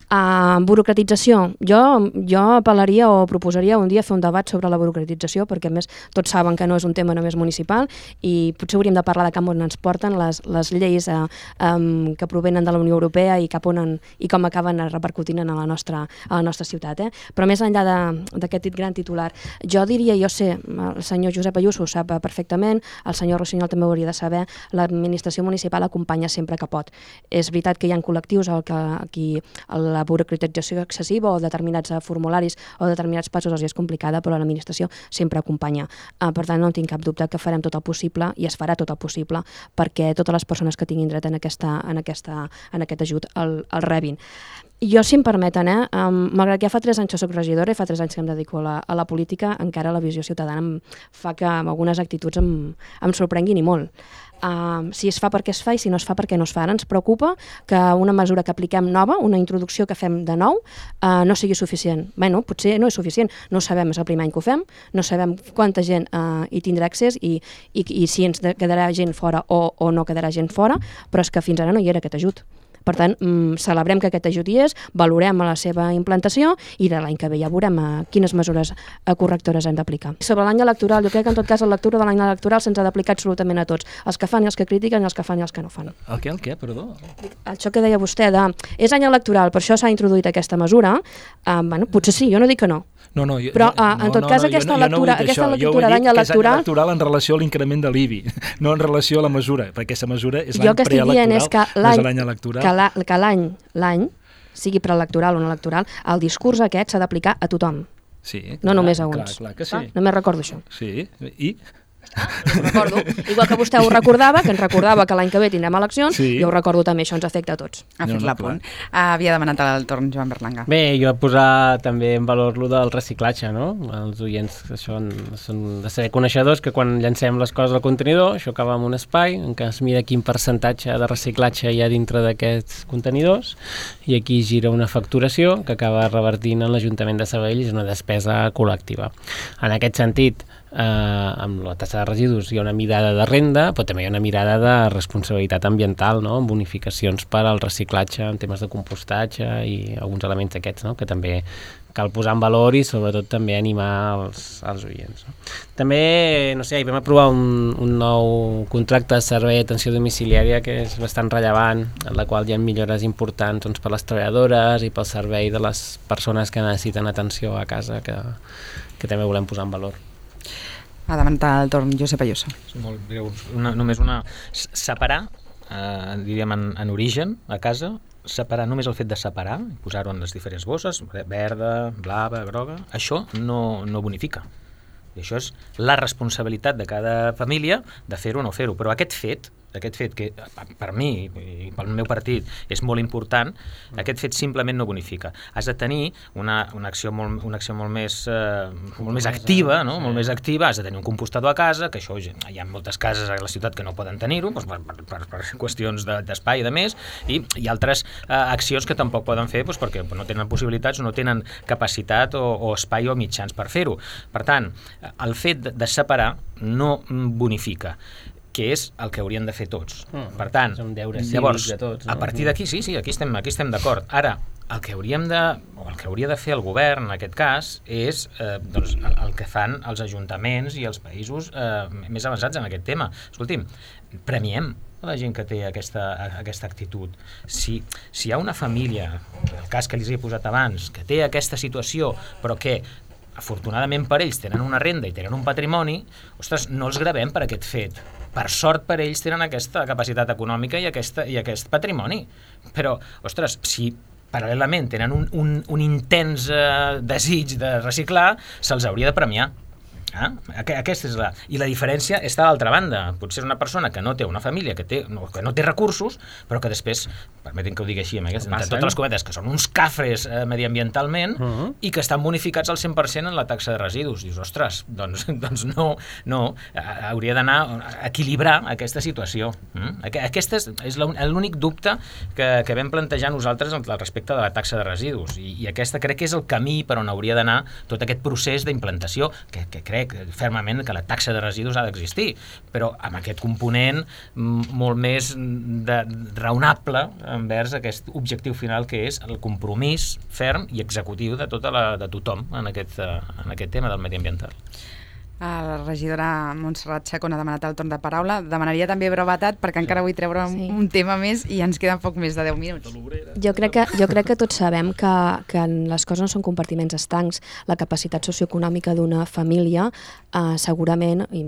Uh, burocratització. Jo, jo apel·laria o proposaria un dia fer un debat sobre la burocratització, perquè a més tots saben que no és un tema només municipal i potser hauríem de parlar de cap on ens porten les, les lleis uh, um, que provenen de la Unió Europea i cap on en, i com acaben repercutint a la nostra, a la nostra ciutat. Eh? Però més enllà d'aquest gran titular, jo diria, jo sé, el senyor Josep Ayuso ho sap perfectament, el senyor Rossinyol també ho hauria de saber, l'administració municipal acompanya sempre que pot. És veritat que hi ha col·lectius al que aquí la la burocratització excessiva o determinats formularis o determinats passos els és complicada, però l'administració sempre acompanya. Uh, per tant, no tinc cap dubte que farem tot el possible i es farà tot el possible perquè totes les persones que tinguin dret en, aquesta, en, aquesta, en aquest ajut el, el rebin. Jo, si em permeten, eh, um, malgrat que ja fa tres anys que soc regidora i fa tres anys que em dedico a la, a la política, encara la visió ciutadana em fa que amb algunes actituds em, em sorprenguin i molt. Uh, si es fa perquè es fa i si no es fa perquè no es fa. Ara ens preocupa que una mesura que apliquem nova, una introducció que fem de nou, uh, no sigui suficient. Bé, no, potser no és suficient, no sabem, és el primer any que ho fem, no sabem quanta gent uh, hi tindrà accés i, i, i si ens quedarà gent fora o, o no quedarà gent fora, però és que fins ara no hi era aquest ajut. Per tant, mm, celebrem que aquest ajut hi és, valorem la seva implantació i de l'any que ve ja veurem uh, quines mesures uh, correctores hem d'aplicar. Sobre l'any electoral, jo crec que en tot cas la lectura de l'any electoral se'ns ha d'aplicar absolutament a tots, els que fan i els que critiquen i els que fan i els que no fan. El què, el què, perdó? Això que deia vostè, de, és any electoral, per això s'ha introduït aquesta mesura, uh, bueno, potser sí, jo no dic que no. No, no, jo, però uh, en tot no, cas no, aquesta no, lectura, no aquesta lectura d'any electoral... Jo he dit que és any electoral en relació a l'increment de l'I B I, no en relació a la mesura, perquè aquesta mesura és l'any preelectoral, és que no és l'any electoral. Que l'any, l'any, sigui preelectoral o no electoral, el discurs aquest s'ha d'aplicar a tothom. Sí, no clar, només a uns. Clar, clar que sí. Ah, només recordo això. Sí, i... Ho recordo. Igual que vostè ho recordava, que ens recordava que l'any que ve tindrem eleccions, sí. Jo ho recordo també, això ens afecta a tots. Ha fet no, no, l'apunt. Uh, havia demanat el torn Joan Berlanga. Bé, jo posar també en valor lo del reciclatge, no? Els oients això són de ser coneixedors que quan llancem les coses al contenidor, això acaba en un espai en què es mira quin percentatge de reciclatge hi ha dintre d'aquests contenidors i aquí gira una facturació que acaba revertint en l'Ajuntament de Sabadell i és una despesa col·lectiva. En aquest sentit, Eh, amb la taxa de residus hi ha una mirada de renda, però també hi ha una mirada de responsabilitat ambiental, no? Amb bonificacions per al reciclatge en temes de compostatge i alguns elements d'aquests, no? Que també cal posar en valor i sobretot també animar els, els oients. No? També, no sé, hi vam aprovar un, un nou contracte de servei d'atenció domiciliària que és bastant rellevant, en la qual hi ha millores importants doncs, per les treballadores i pel servei de les persones que necessiten atenció a casa, que, que també volem posar en valor. Ha demanat el torn Josep Ayuso. Molt breu, una, només una... Separar, eh, diríem en, en origen, a casa, separar, només el fet de separar, posar-ho en les diferents bosses, verda, blava, groga, això no, no bonifica. I això és la responsabilitat de cada família de fer-ho o no fer-ho, però aquest fet aquest fet que per mi i pel meu partit és molt important, aquest fet simplement no bonifica. Has de tenir una, una acció, molt, una acció molt, més, eh, molt més activa, no? Molt més activa, has de tenir un compostador a casa, que això hi ha moltes cases a la ciutat que no poden tenir-ho, doncs per, per, per qüestions d'espai i de més, i hi ha altres eh, accions que tampoc poden fer doncs perquè no tenen possibilitats o no tenen capacitat o, o espai o mitjans per fer-ho. Per tant, el fet de, de separar no bonifica, que és el que haurien de fer tots. Mm, per tant, llavors, de tots, no? A partir d'aquí, sí, sí, aquí estem, aquí estem d'acord. Ara, el que hauríem de, o el que hauria de fer el govern, en aquest cas, és eh, doncs, el, el que fan els ajuntaments i els països eh, més avançats en aquest tema. Escolti'm, premiem a la gent que té aquesta, aquesta actitud. Si, si hi ha una família, el cas que els he posat abans, que té aquesta situació, però que afortunadament per ells tenen una renda i tenen un patrimoni, ostres, no els gravem per aquest fet. Per sort per ells tenen aquesta capacitat econòmica i, aquesta, i aquest patrimoni. Però, ostres, si paral·lelament tenen un, un, un intens eh, desig de reciclar, se'ls hauria de premiar. Ah? Aquesta és la... I la diferència està a l'altra banda. Potser és una persona que no té una família, que, té, no, que no té recursos, però que després, permetin que ho digui així, amb aquestes, entre totes les cometes, que són uns cafres eh, mediambientalment uh -huh. i que estan bonificats al cent per cent en la taxa de residus. Dius, ostres, doncs, doncs no, no, hauria d'anar a equilibrar aquesta situació. Mm? Aquest és, és l'únic dubte que, que vam plantejar nosaltres al respecte de la taxa de residus. I, i aquesta crec que és el camí per on hauria d'anar tot aquest procés d'implantació, que, que crec fermament que la taxa de residus ha d'existir, però amb aquest component molt més de, raonable envers aquest objectiu final que és el compromís ferm i executiu de, tota la, de tothom en aquest, en aquest tema del mediambiental. La regidora Montserrat Chacón ha demanat el torn de paraula. Demanaria també brevetat perquè encara vull treure un, sí. un tema més i ens queden poc més de deu minuts. Jo crec que, jo crec que tots sabem que, que les coses no són compartiments estancs. La capacitat socioeconòmica d'una família eh, segurament i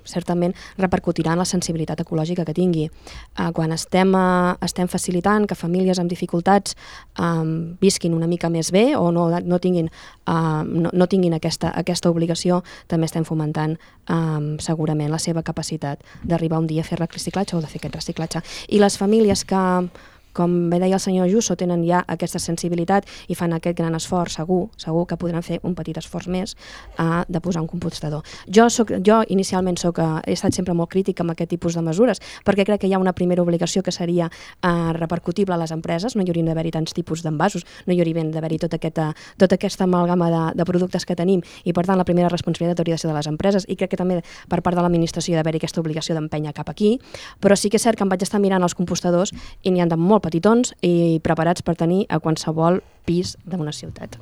certament repercutirà en la sensibilitat ecològica que tingui. Eh, quan estem, eh, estem facilitant que famílies amb dificultats eh, visquin una mica més bé o no, no tinguin, eh, no, no tinguin aquesta, aquesta obligació, també estem fomentant eh, segurament la seva capacitat d'arribar un dia a fer reciclatge o de fer aquest reciclatge. I les famílies que, com bé deia el senyor Ayuso, tenen ja aquesta sensibilitat i fan aquest gran esforç, segur, segur que podran fer un petit esforç més uh, de posar un compostador. Jo, soc, jo inicialment soc, uh, he estat sempre molt crítica amb aquest tipus de mesures, perquè crec que hi ha una primera obligació que seria uh, repercutible a les empreses, no hi haurien d'haver-hi tants tipus d'envasos, no hi haurien d'haver-hi tota aquesta, tota aquesta amalgama de, de productes que tenim, i per tant la primera responsabilitat hauria de ser de les empreses, i crec que també per part de l'administració d'haver-hi aquesta obligació d'empènyer cap aquí, però sí que és cert que em vaig estar mirant els compostadors i n'hi ha de molt petitons i preparats per tenir a qualsevol pis d'una ciutat.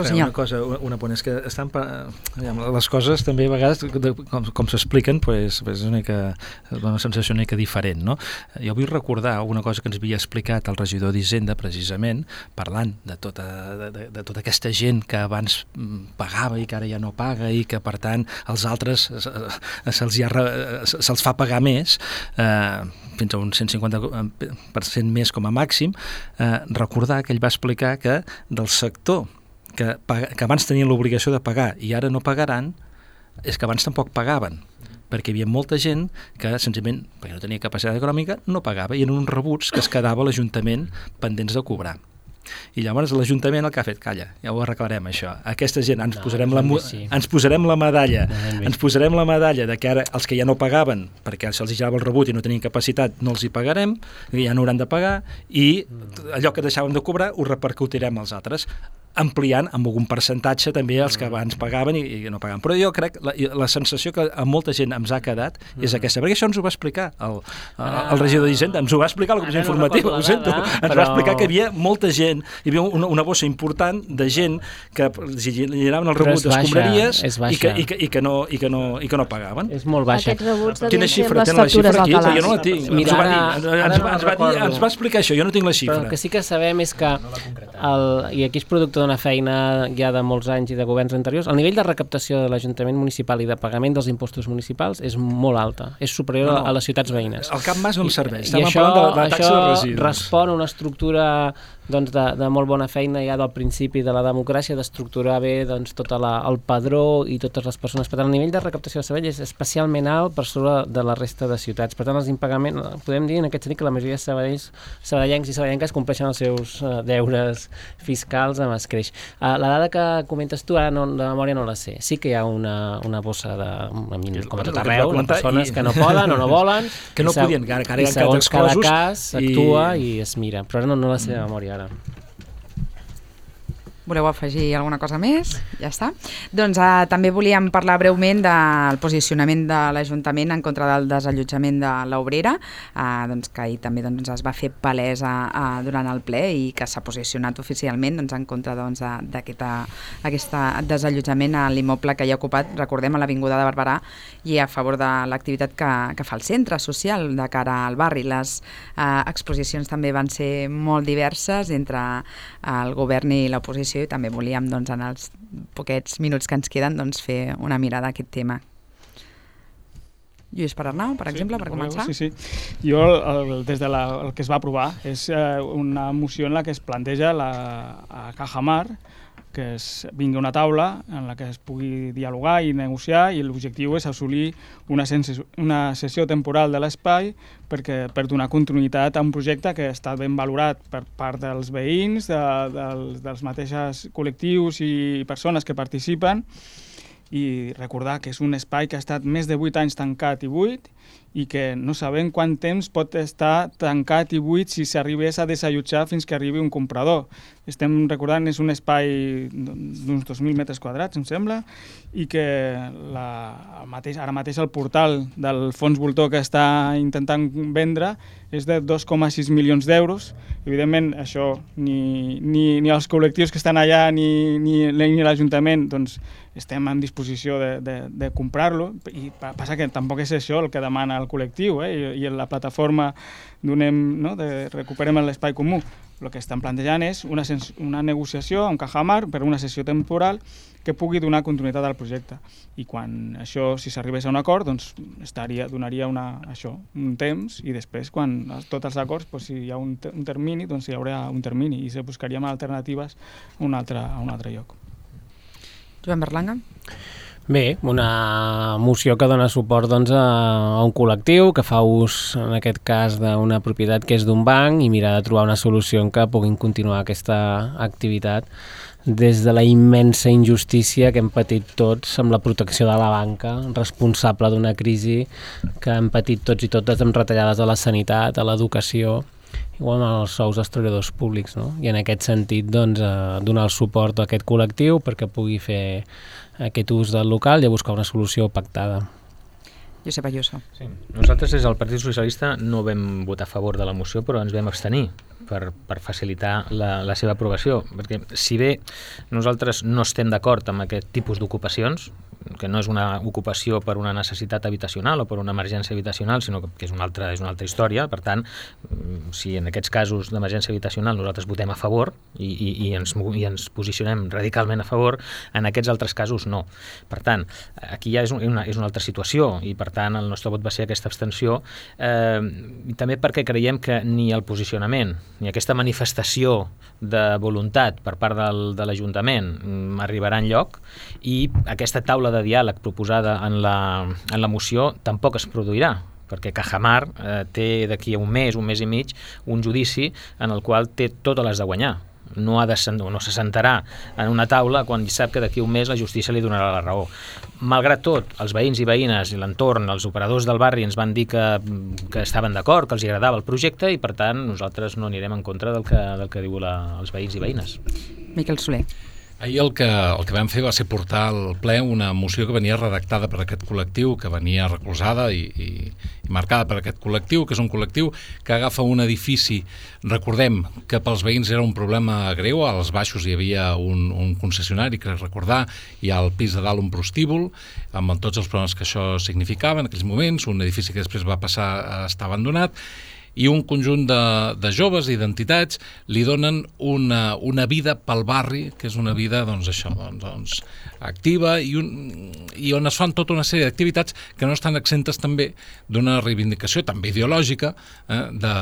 Però una cosa, una point és que estan, les coses també a vegades com, com s'expliquen pues, pues és una, mica, una sensació una mica diferent, no? Jo vull recordar una cosa que ens havia explicat el regidor d'Hisenda precisament, parlant de tota, de, de, de tota aquesta gent que abans pagava i que ara ja no paga i que per tant els altres se'ls se se'ls fa pagar més, eh, fins a un cent cinquanta per cent més com a màxim, eh, recordar que ell va explicar que del sector que, que abans tenien l'obligació de pagar i ara no pagaran, és que abans tampoc pagaven, perquè hi havia molta gent que senzillament, perquè no tenia capacitat econòmica, no pagava i eren uns rebuts que es quedava a l'Ajuntament pendents de cobrar. I llavors l'Ajuntament el que ha fet, calla, ja ho arreglarem això, aquesta gent ens, no, posarem, la, sí. ens posarem la medalla no, ens posarem la medalla de que ara els que ja no pagaven perquè se'ls girava el rebut i no tenien capacitat no els hi pagarem, ja no hauran de pagar i allò que deixàvem de cobrar ho repercutirem als altres, ampliant amb algun percentatge també els que abans pagaven i, i no pagaven. Però jo crec, la, la sensació que a molta gent ens ha quedat és aquesta, perquè això ens ho va explicar el, el, el regidor d'Hisenda, ens ho va explicar la comissió informativa, ho sento, ens va explicar que hi havia molta gent, hi havia una, una bossa important de gent que generaven el rebut d'escombraries i, que, i, que, i, que no, i, que no, i que no pagaven. És molt baixa. Aquests rebuts Quina xifra? Tenen la xifra aquí? Jo no la tinc. Mira, ens, ho va dir, ens, ens, va, ens, va dir, ens va explicar això, jo no tinc la xifra. Però el que sí que sabem és que, el, i aquí és producte d'una feina ja de molts anys i de governs anteriors, el nivell de recaptació de l'Ajuntament municipal i de pagament dels impostos municipals és molt alta, és superior no, no. a les ciutats veïnes. El Cap Mas no em serveix, estem parlant de la taxa de residus. I això respon a una estructura doncs, de, de molt bona feina ja del principi de la democràcia, d'estructurar bé doncs, tot la, el padró i totes les persones. Per tant, el nivell de recaptació de Sabadell és especialment alt per sobre de la resta de ciutats. Per tant, els impagaments, podem dir en aquest sentit que la majoria de sabadellencs, sabadellencs i sabadellenques compleixen els seus uh, deures fiscals amb escreix. Uh, la dada que comentes tu, ara no, de memòria no la sé. Sí que hi ha una, una bossa de, com a tot arreu, de persones i... que no poden o no volen, que no i, podien, que ara, que ara i segons cada cas s'actua i... i es mira. Però ara no, no la sé de memòria ara. Voleu afegir alguna cosa més? Ja està. Doncs eh, també volíem parlar breument del posicionament de l'Ajuntament en contra del desallotjament de l'Obrera, eh, doncs, que ahir també doncs, es va fer palesa eh, durant el ple i que s'ha posicionat oficialment doncs, en contra doncs, d'aquest desallotjament a l'immoble que hi ha ocupat, recordem, a l'Avinguda de Barberà, i a favor de l'activitat que, que fa el centre social de cara al barri. Les eh, exposicions també van ser molt diverses entre el govern i l'oposició, i també volíem, doncs, en els poquets minuts que ens queden, doncs, fer una mirada a aquest tema. Lluís Perarnau, per exemple, sí, per començar. Sí, sí. Jo, el, des de la, el que es va aprovar, és eh, una moció en la que es planteja la, a Cajamar, que es vingui una taula en la que es pugui dialogar i negociar, i l'objectiu és assolir una, una sessió temporal de l'espai perquè per donar continuïtat a un projecte que està ben valorat per part dels veïns, de, dels, dels mateixos col·lectius i persones que participen, i recordar que és un espai que ha estat més de vuit anys tancat i buit, i que no sabem quant temps pot estar tancat i buit si s'arribés a desallotjar fins que arribi un comprador. Estem recordant, és un espai d'uns dos mil metres quadrats, em sembla, i que la, mateix, ara mateix el portal del fons voltor que està intentant vendre és de dos coma sis milions d'euros. Evidentment, això ni, ni, ni els col·lectius que estan allà ni, ni, ni l'Ajuntament doncs, estem en disposició de, de, de comprar-lo, i passa que tampoc és això el que demana el col·lectiu, eh? I, i la plataforma donem, no? de recuperem l'espai comú. El que estan plantejant és una, una negociació amb Cajamar per una sessió temporal que pugui donar continuïtat al projecte. I quan això, si s'arribés a un acord, doncs estaria, donaria una, això, un temps, i després, quan tots els acords, doncs, si hi ha un, un termini, doncs hi haurà un termini i se buscaríem alternatives a un altre, a un altre lloc. Joan Berlanga? Bé, una moció que dona suport doncs, a, a un col·lectiu que fa ús, en aquest cas, d'una propietat que és d'un banc, i mirar de trobar una solució en què puguin continuar aquesta activitat des de la immensa injustícia que hem patit tots amb la protecció de la banca, responsable d'una crisi que hem patit tots i totes amb retallades a la sanitat, a l'educació, igual amb els sous dels treballadors públics, no? I en aquest sentit, doncs, eh, donar el suport a aquest col·lectiu perquè pugui fer aquest ús del local i a buscar una solució pactada. Josep Ayuso. Sí. Nosaltres des del Partit Socialista no vam votar a favor de la moció, però ens vam abstenir per, per facilitar la, la seva aprovació, perquè si bé nosaltres no estem d'acord amb aquest tipus d'ocupacions, que no és una ocupació per una necessitat habitacional o per una emergència habitacional, sinó que és una altra, és una altra història. Per tant, si en aquests casos d'emergència habitacional nosaltres votem a favor i, i, i, ens, i ens posicionem radicalment a favor, en aquests altres casos no. Per tant, aquí ja és una, és una altra situació, i per tant el nostre vot va ser aquesta abstenció, eh, i també perquè creiem que ni el posicionament ni aquesta manifestació de voluntat per part del, de l'Ajuntament arribarà enlloc, i aquesta taula de diàleg proposada en la, en la moció tampoc es produirà, perquè Cajamar eh, té d'aquí a un mes, un mes i mig, un judici en el qual té totes les de guanyar. No, ha de, no se sentarà en una taula quan sap que d'aquí a un mes la justícia li donarà la raó. Malgrat tot, els veïns i veïnes i l'entorn, els operadors del barri ens van dir que, que estaven d'acord, que els agradava el projecte, i per tant nosaltres no anirem en contra del que, del que diuen els veïns i veïnes. Miquel Soler. Ahir el que, el que vam fer va ser portar al ple una moció que venia redactada per aquest col·lectiu, que venia recolzada i, i, i marcada per aquest col·lectiu, que és un col·lectiu que agafa un edifici. Recordem que pels veïns era un problema greu, als baixos hi havia un, un concessionari, que recordar, i al pis de dalt un prostíbul, amb tots els problemes que això significava en aquells moments, un edifici que després va passar a estar abandonat, i un conjunt de, de joves i d'entitats li donen una, una vida pel barri, que és una vida doncs, això, doncs, doncs, activa, i, un, i on es fan tota una sèrie d'activitats que no estan exentes també d'una reivindicació també ideològica eh, de,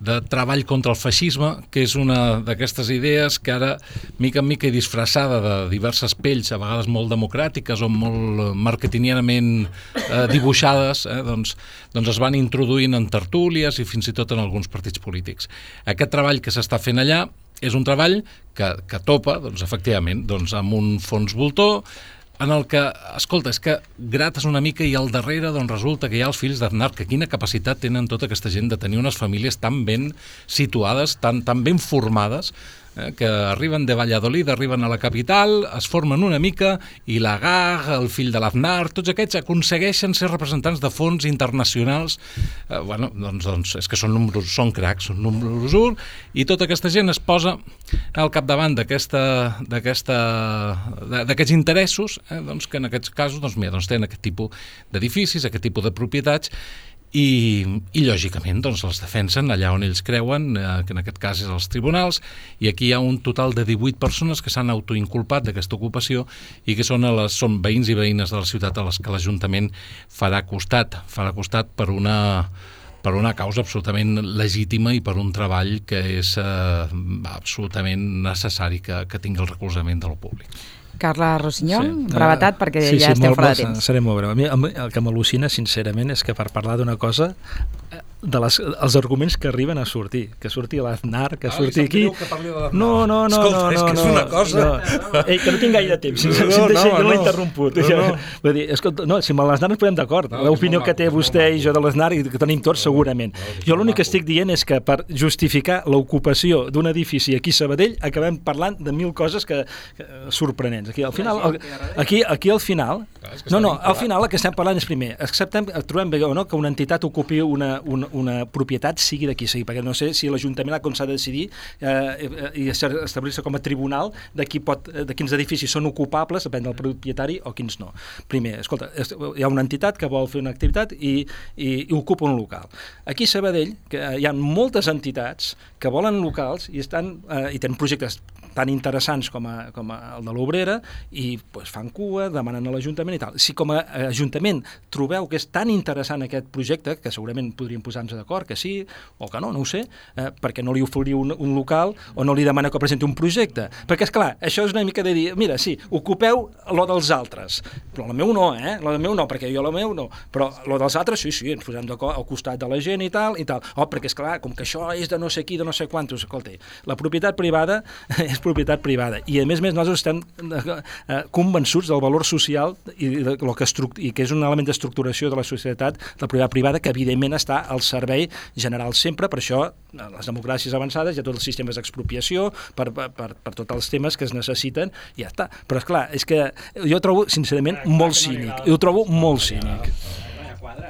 de treball contra el feixisme, que és una d'aquestes idees que ara, mica en mica i disfressada de diverses pells, a vegades molt democràtiques o molt marketingianament eh, dibuixades, eh, doncs, doncs es van introduint en tertúlies i fins i tot en alguns partits polítics. Aquest treball que s'està fent allà és un treball que, que topa, doncs, efectivament, doncs, amb un fons voltor, en el que, escolta, és que grates una mica i al darrere doncs, resulta que hi ha els fills d'Aznar, que quina capacitat tenen tota aquesta gent de tenir unes famílies tan ben situades, tan, tan ben formades, eh, que arriben de Valladolid, arriben a la capital, es formen una mica, i l'Agar, el fill de l'Aznar, tots aquests aconsegueixen ser representants de fons internacionals. Eh, bueno, doncs, doncs és que són números, són cracs, són números un, i tota aquesta gent es posa al capdavant d'aquesta, d'aquesta, d'aquests interessos, eh, doncs, que en aquests casos doncs, mira, doncs, tenen aquest tipus d'edificis, aquest tipus de propietats, I, i lògicament doncs, els defensen allà on ells creuen, eh, que en aquest cas és als tribunals, i aquí hi ha un total de divuit persones que s'han autoinculpat d'aquesta ocupació i que són, a les, són veïns i veïnes de la ciutat a les que l'Ajuntament farà costat, farà costat per una, per una causa absolutament legítima i per un treball que és eh, absolutament necessari que, que tingui el recolzament del públic. Carla Rossinyol, sí. brevetat, perquè sí, ja sí, estem molt, fora de temps. Seré molt breu. A mi el que m'al·lucina, sincerament, és que per parlar d'una cosa, de les, els arguments que arriben a sortir, que surti l'Aznar, que surti ah, aquí... Que parli de l'Aznar. No, no, no, Escolta, no, és que és no, una cosa... No. Ei, que no tinc gaire temps, si, no, si, no, si, si no, jo l'he no. interromput. No, no. Vull dir, escolta, no, si amb l'Aznar ens podem d'acord, No, l'opinió que té maco, vostè i jo de l'Aznar i que tenim tots segurament. Jo l'únic que estic dient és que per justificar l'ocupació d'un edifici aquí a Sabadell acabem parlant de mil coses que, que sorprenents. Aquí al final, aquí, aquí al final, no, no, al final el que estem parlant és primer, acceptem, trobem bé o no que una entitat ocupi una, una, una propietat sigui d'aquí sigui, perquè no sé si l'Ajuntament com s'ha de decidir eh, i establir-se com a tribunal de, qui pot, de quins edificis són ocupables, depèn del propietari o quins no. Primer, escolta, hi ha una entitat que vol fer una activitat i, i, i ocupa un local. Aquí a Sabadell que hi ha moltes entitats que volen locals i, estan, eh, i tenen projectes tan interessants com, a, com a el de l'Obrera i pues, fan cua, demanen a l'Ajuntament i tal. Si com a Ajuntament trobeu que és tan interessant aquest projecte, que segurament podríem posar-nos d'acord que sí o que no, no ho sé, eh, perquè no li oferiu un, un local o no li demana que presenti un projecte. Perquè, és clar, això és una mica de dir, mira, sí, ocupeu lo dels altres, però el meu no, eh? Lo del meu no, perquè jo el meu no, però lo dels altres, sí, sí, ens posem d'acord al costat de la gent i tal, i tal. Oh, perquè, és clar, com que això és de no sé qui, de no sé quantos, escolta, la propietat privada és propietat privada. I a més a més nosaltres estem eh, convençuts del valor social i, de lo que i que és un element d'estructuració de la societat, la propietat privada, que evidentment està al servei general sempre, per això les democràcies avançades hi ha tots els sistemes d'expropiació per, per, per, per tots els temes que es necessiten i ja està. Però és clar, és que jo ho trobo sincerament molt cínic, i ho trobo molt cínic.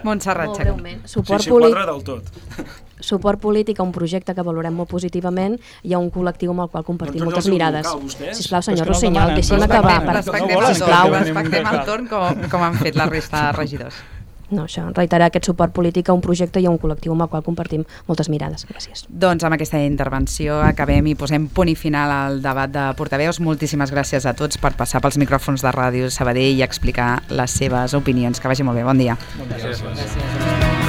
Montserrat Molt Chacón. breument. Suport Sí, sí, quadra del tot. suport polític a un projecte que valorem molt positivament i a un col·lectiu amb el qual compartim Doncs moltes el seu mirades. local, vostès? Sisplau, senyor Però és que no Rossinyol, demanen, deixi'm no acabar. demanen, per- Respectem volen el que torn, venim respectem un el torn com, com han fet la resta de regidors. No, això, reiterar aquest suport polític a un projecte i a un col·lectiu amb el qual compartim moltes mirades. Gràcies. Doncs amb aquesta intervenció acabem i posem punt i final al debat de portaveus. Moltíssimes gràcies a tots per passar pels micròfons de Ràdio Sabadell i explicar les seves opinions. Que vagi molt bé. Bon dia. Gràcies.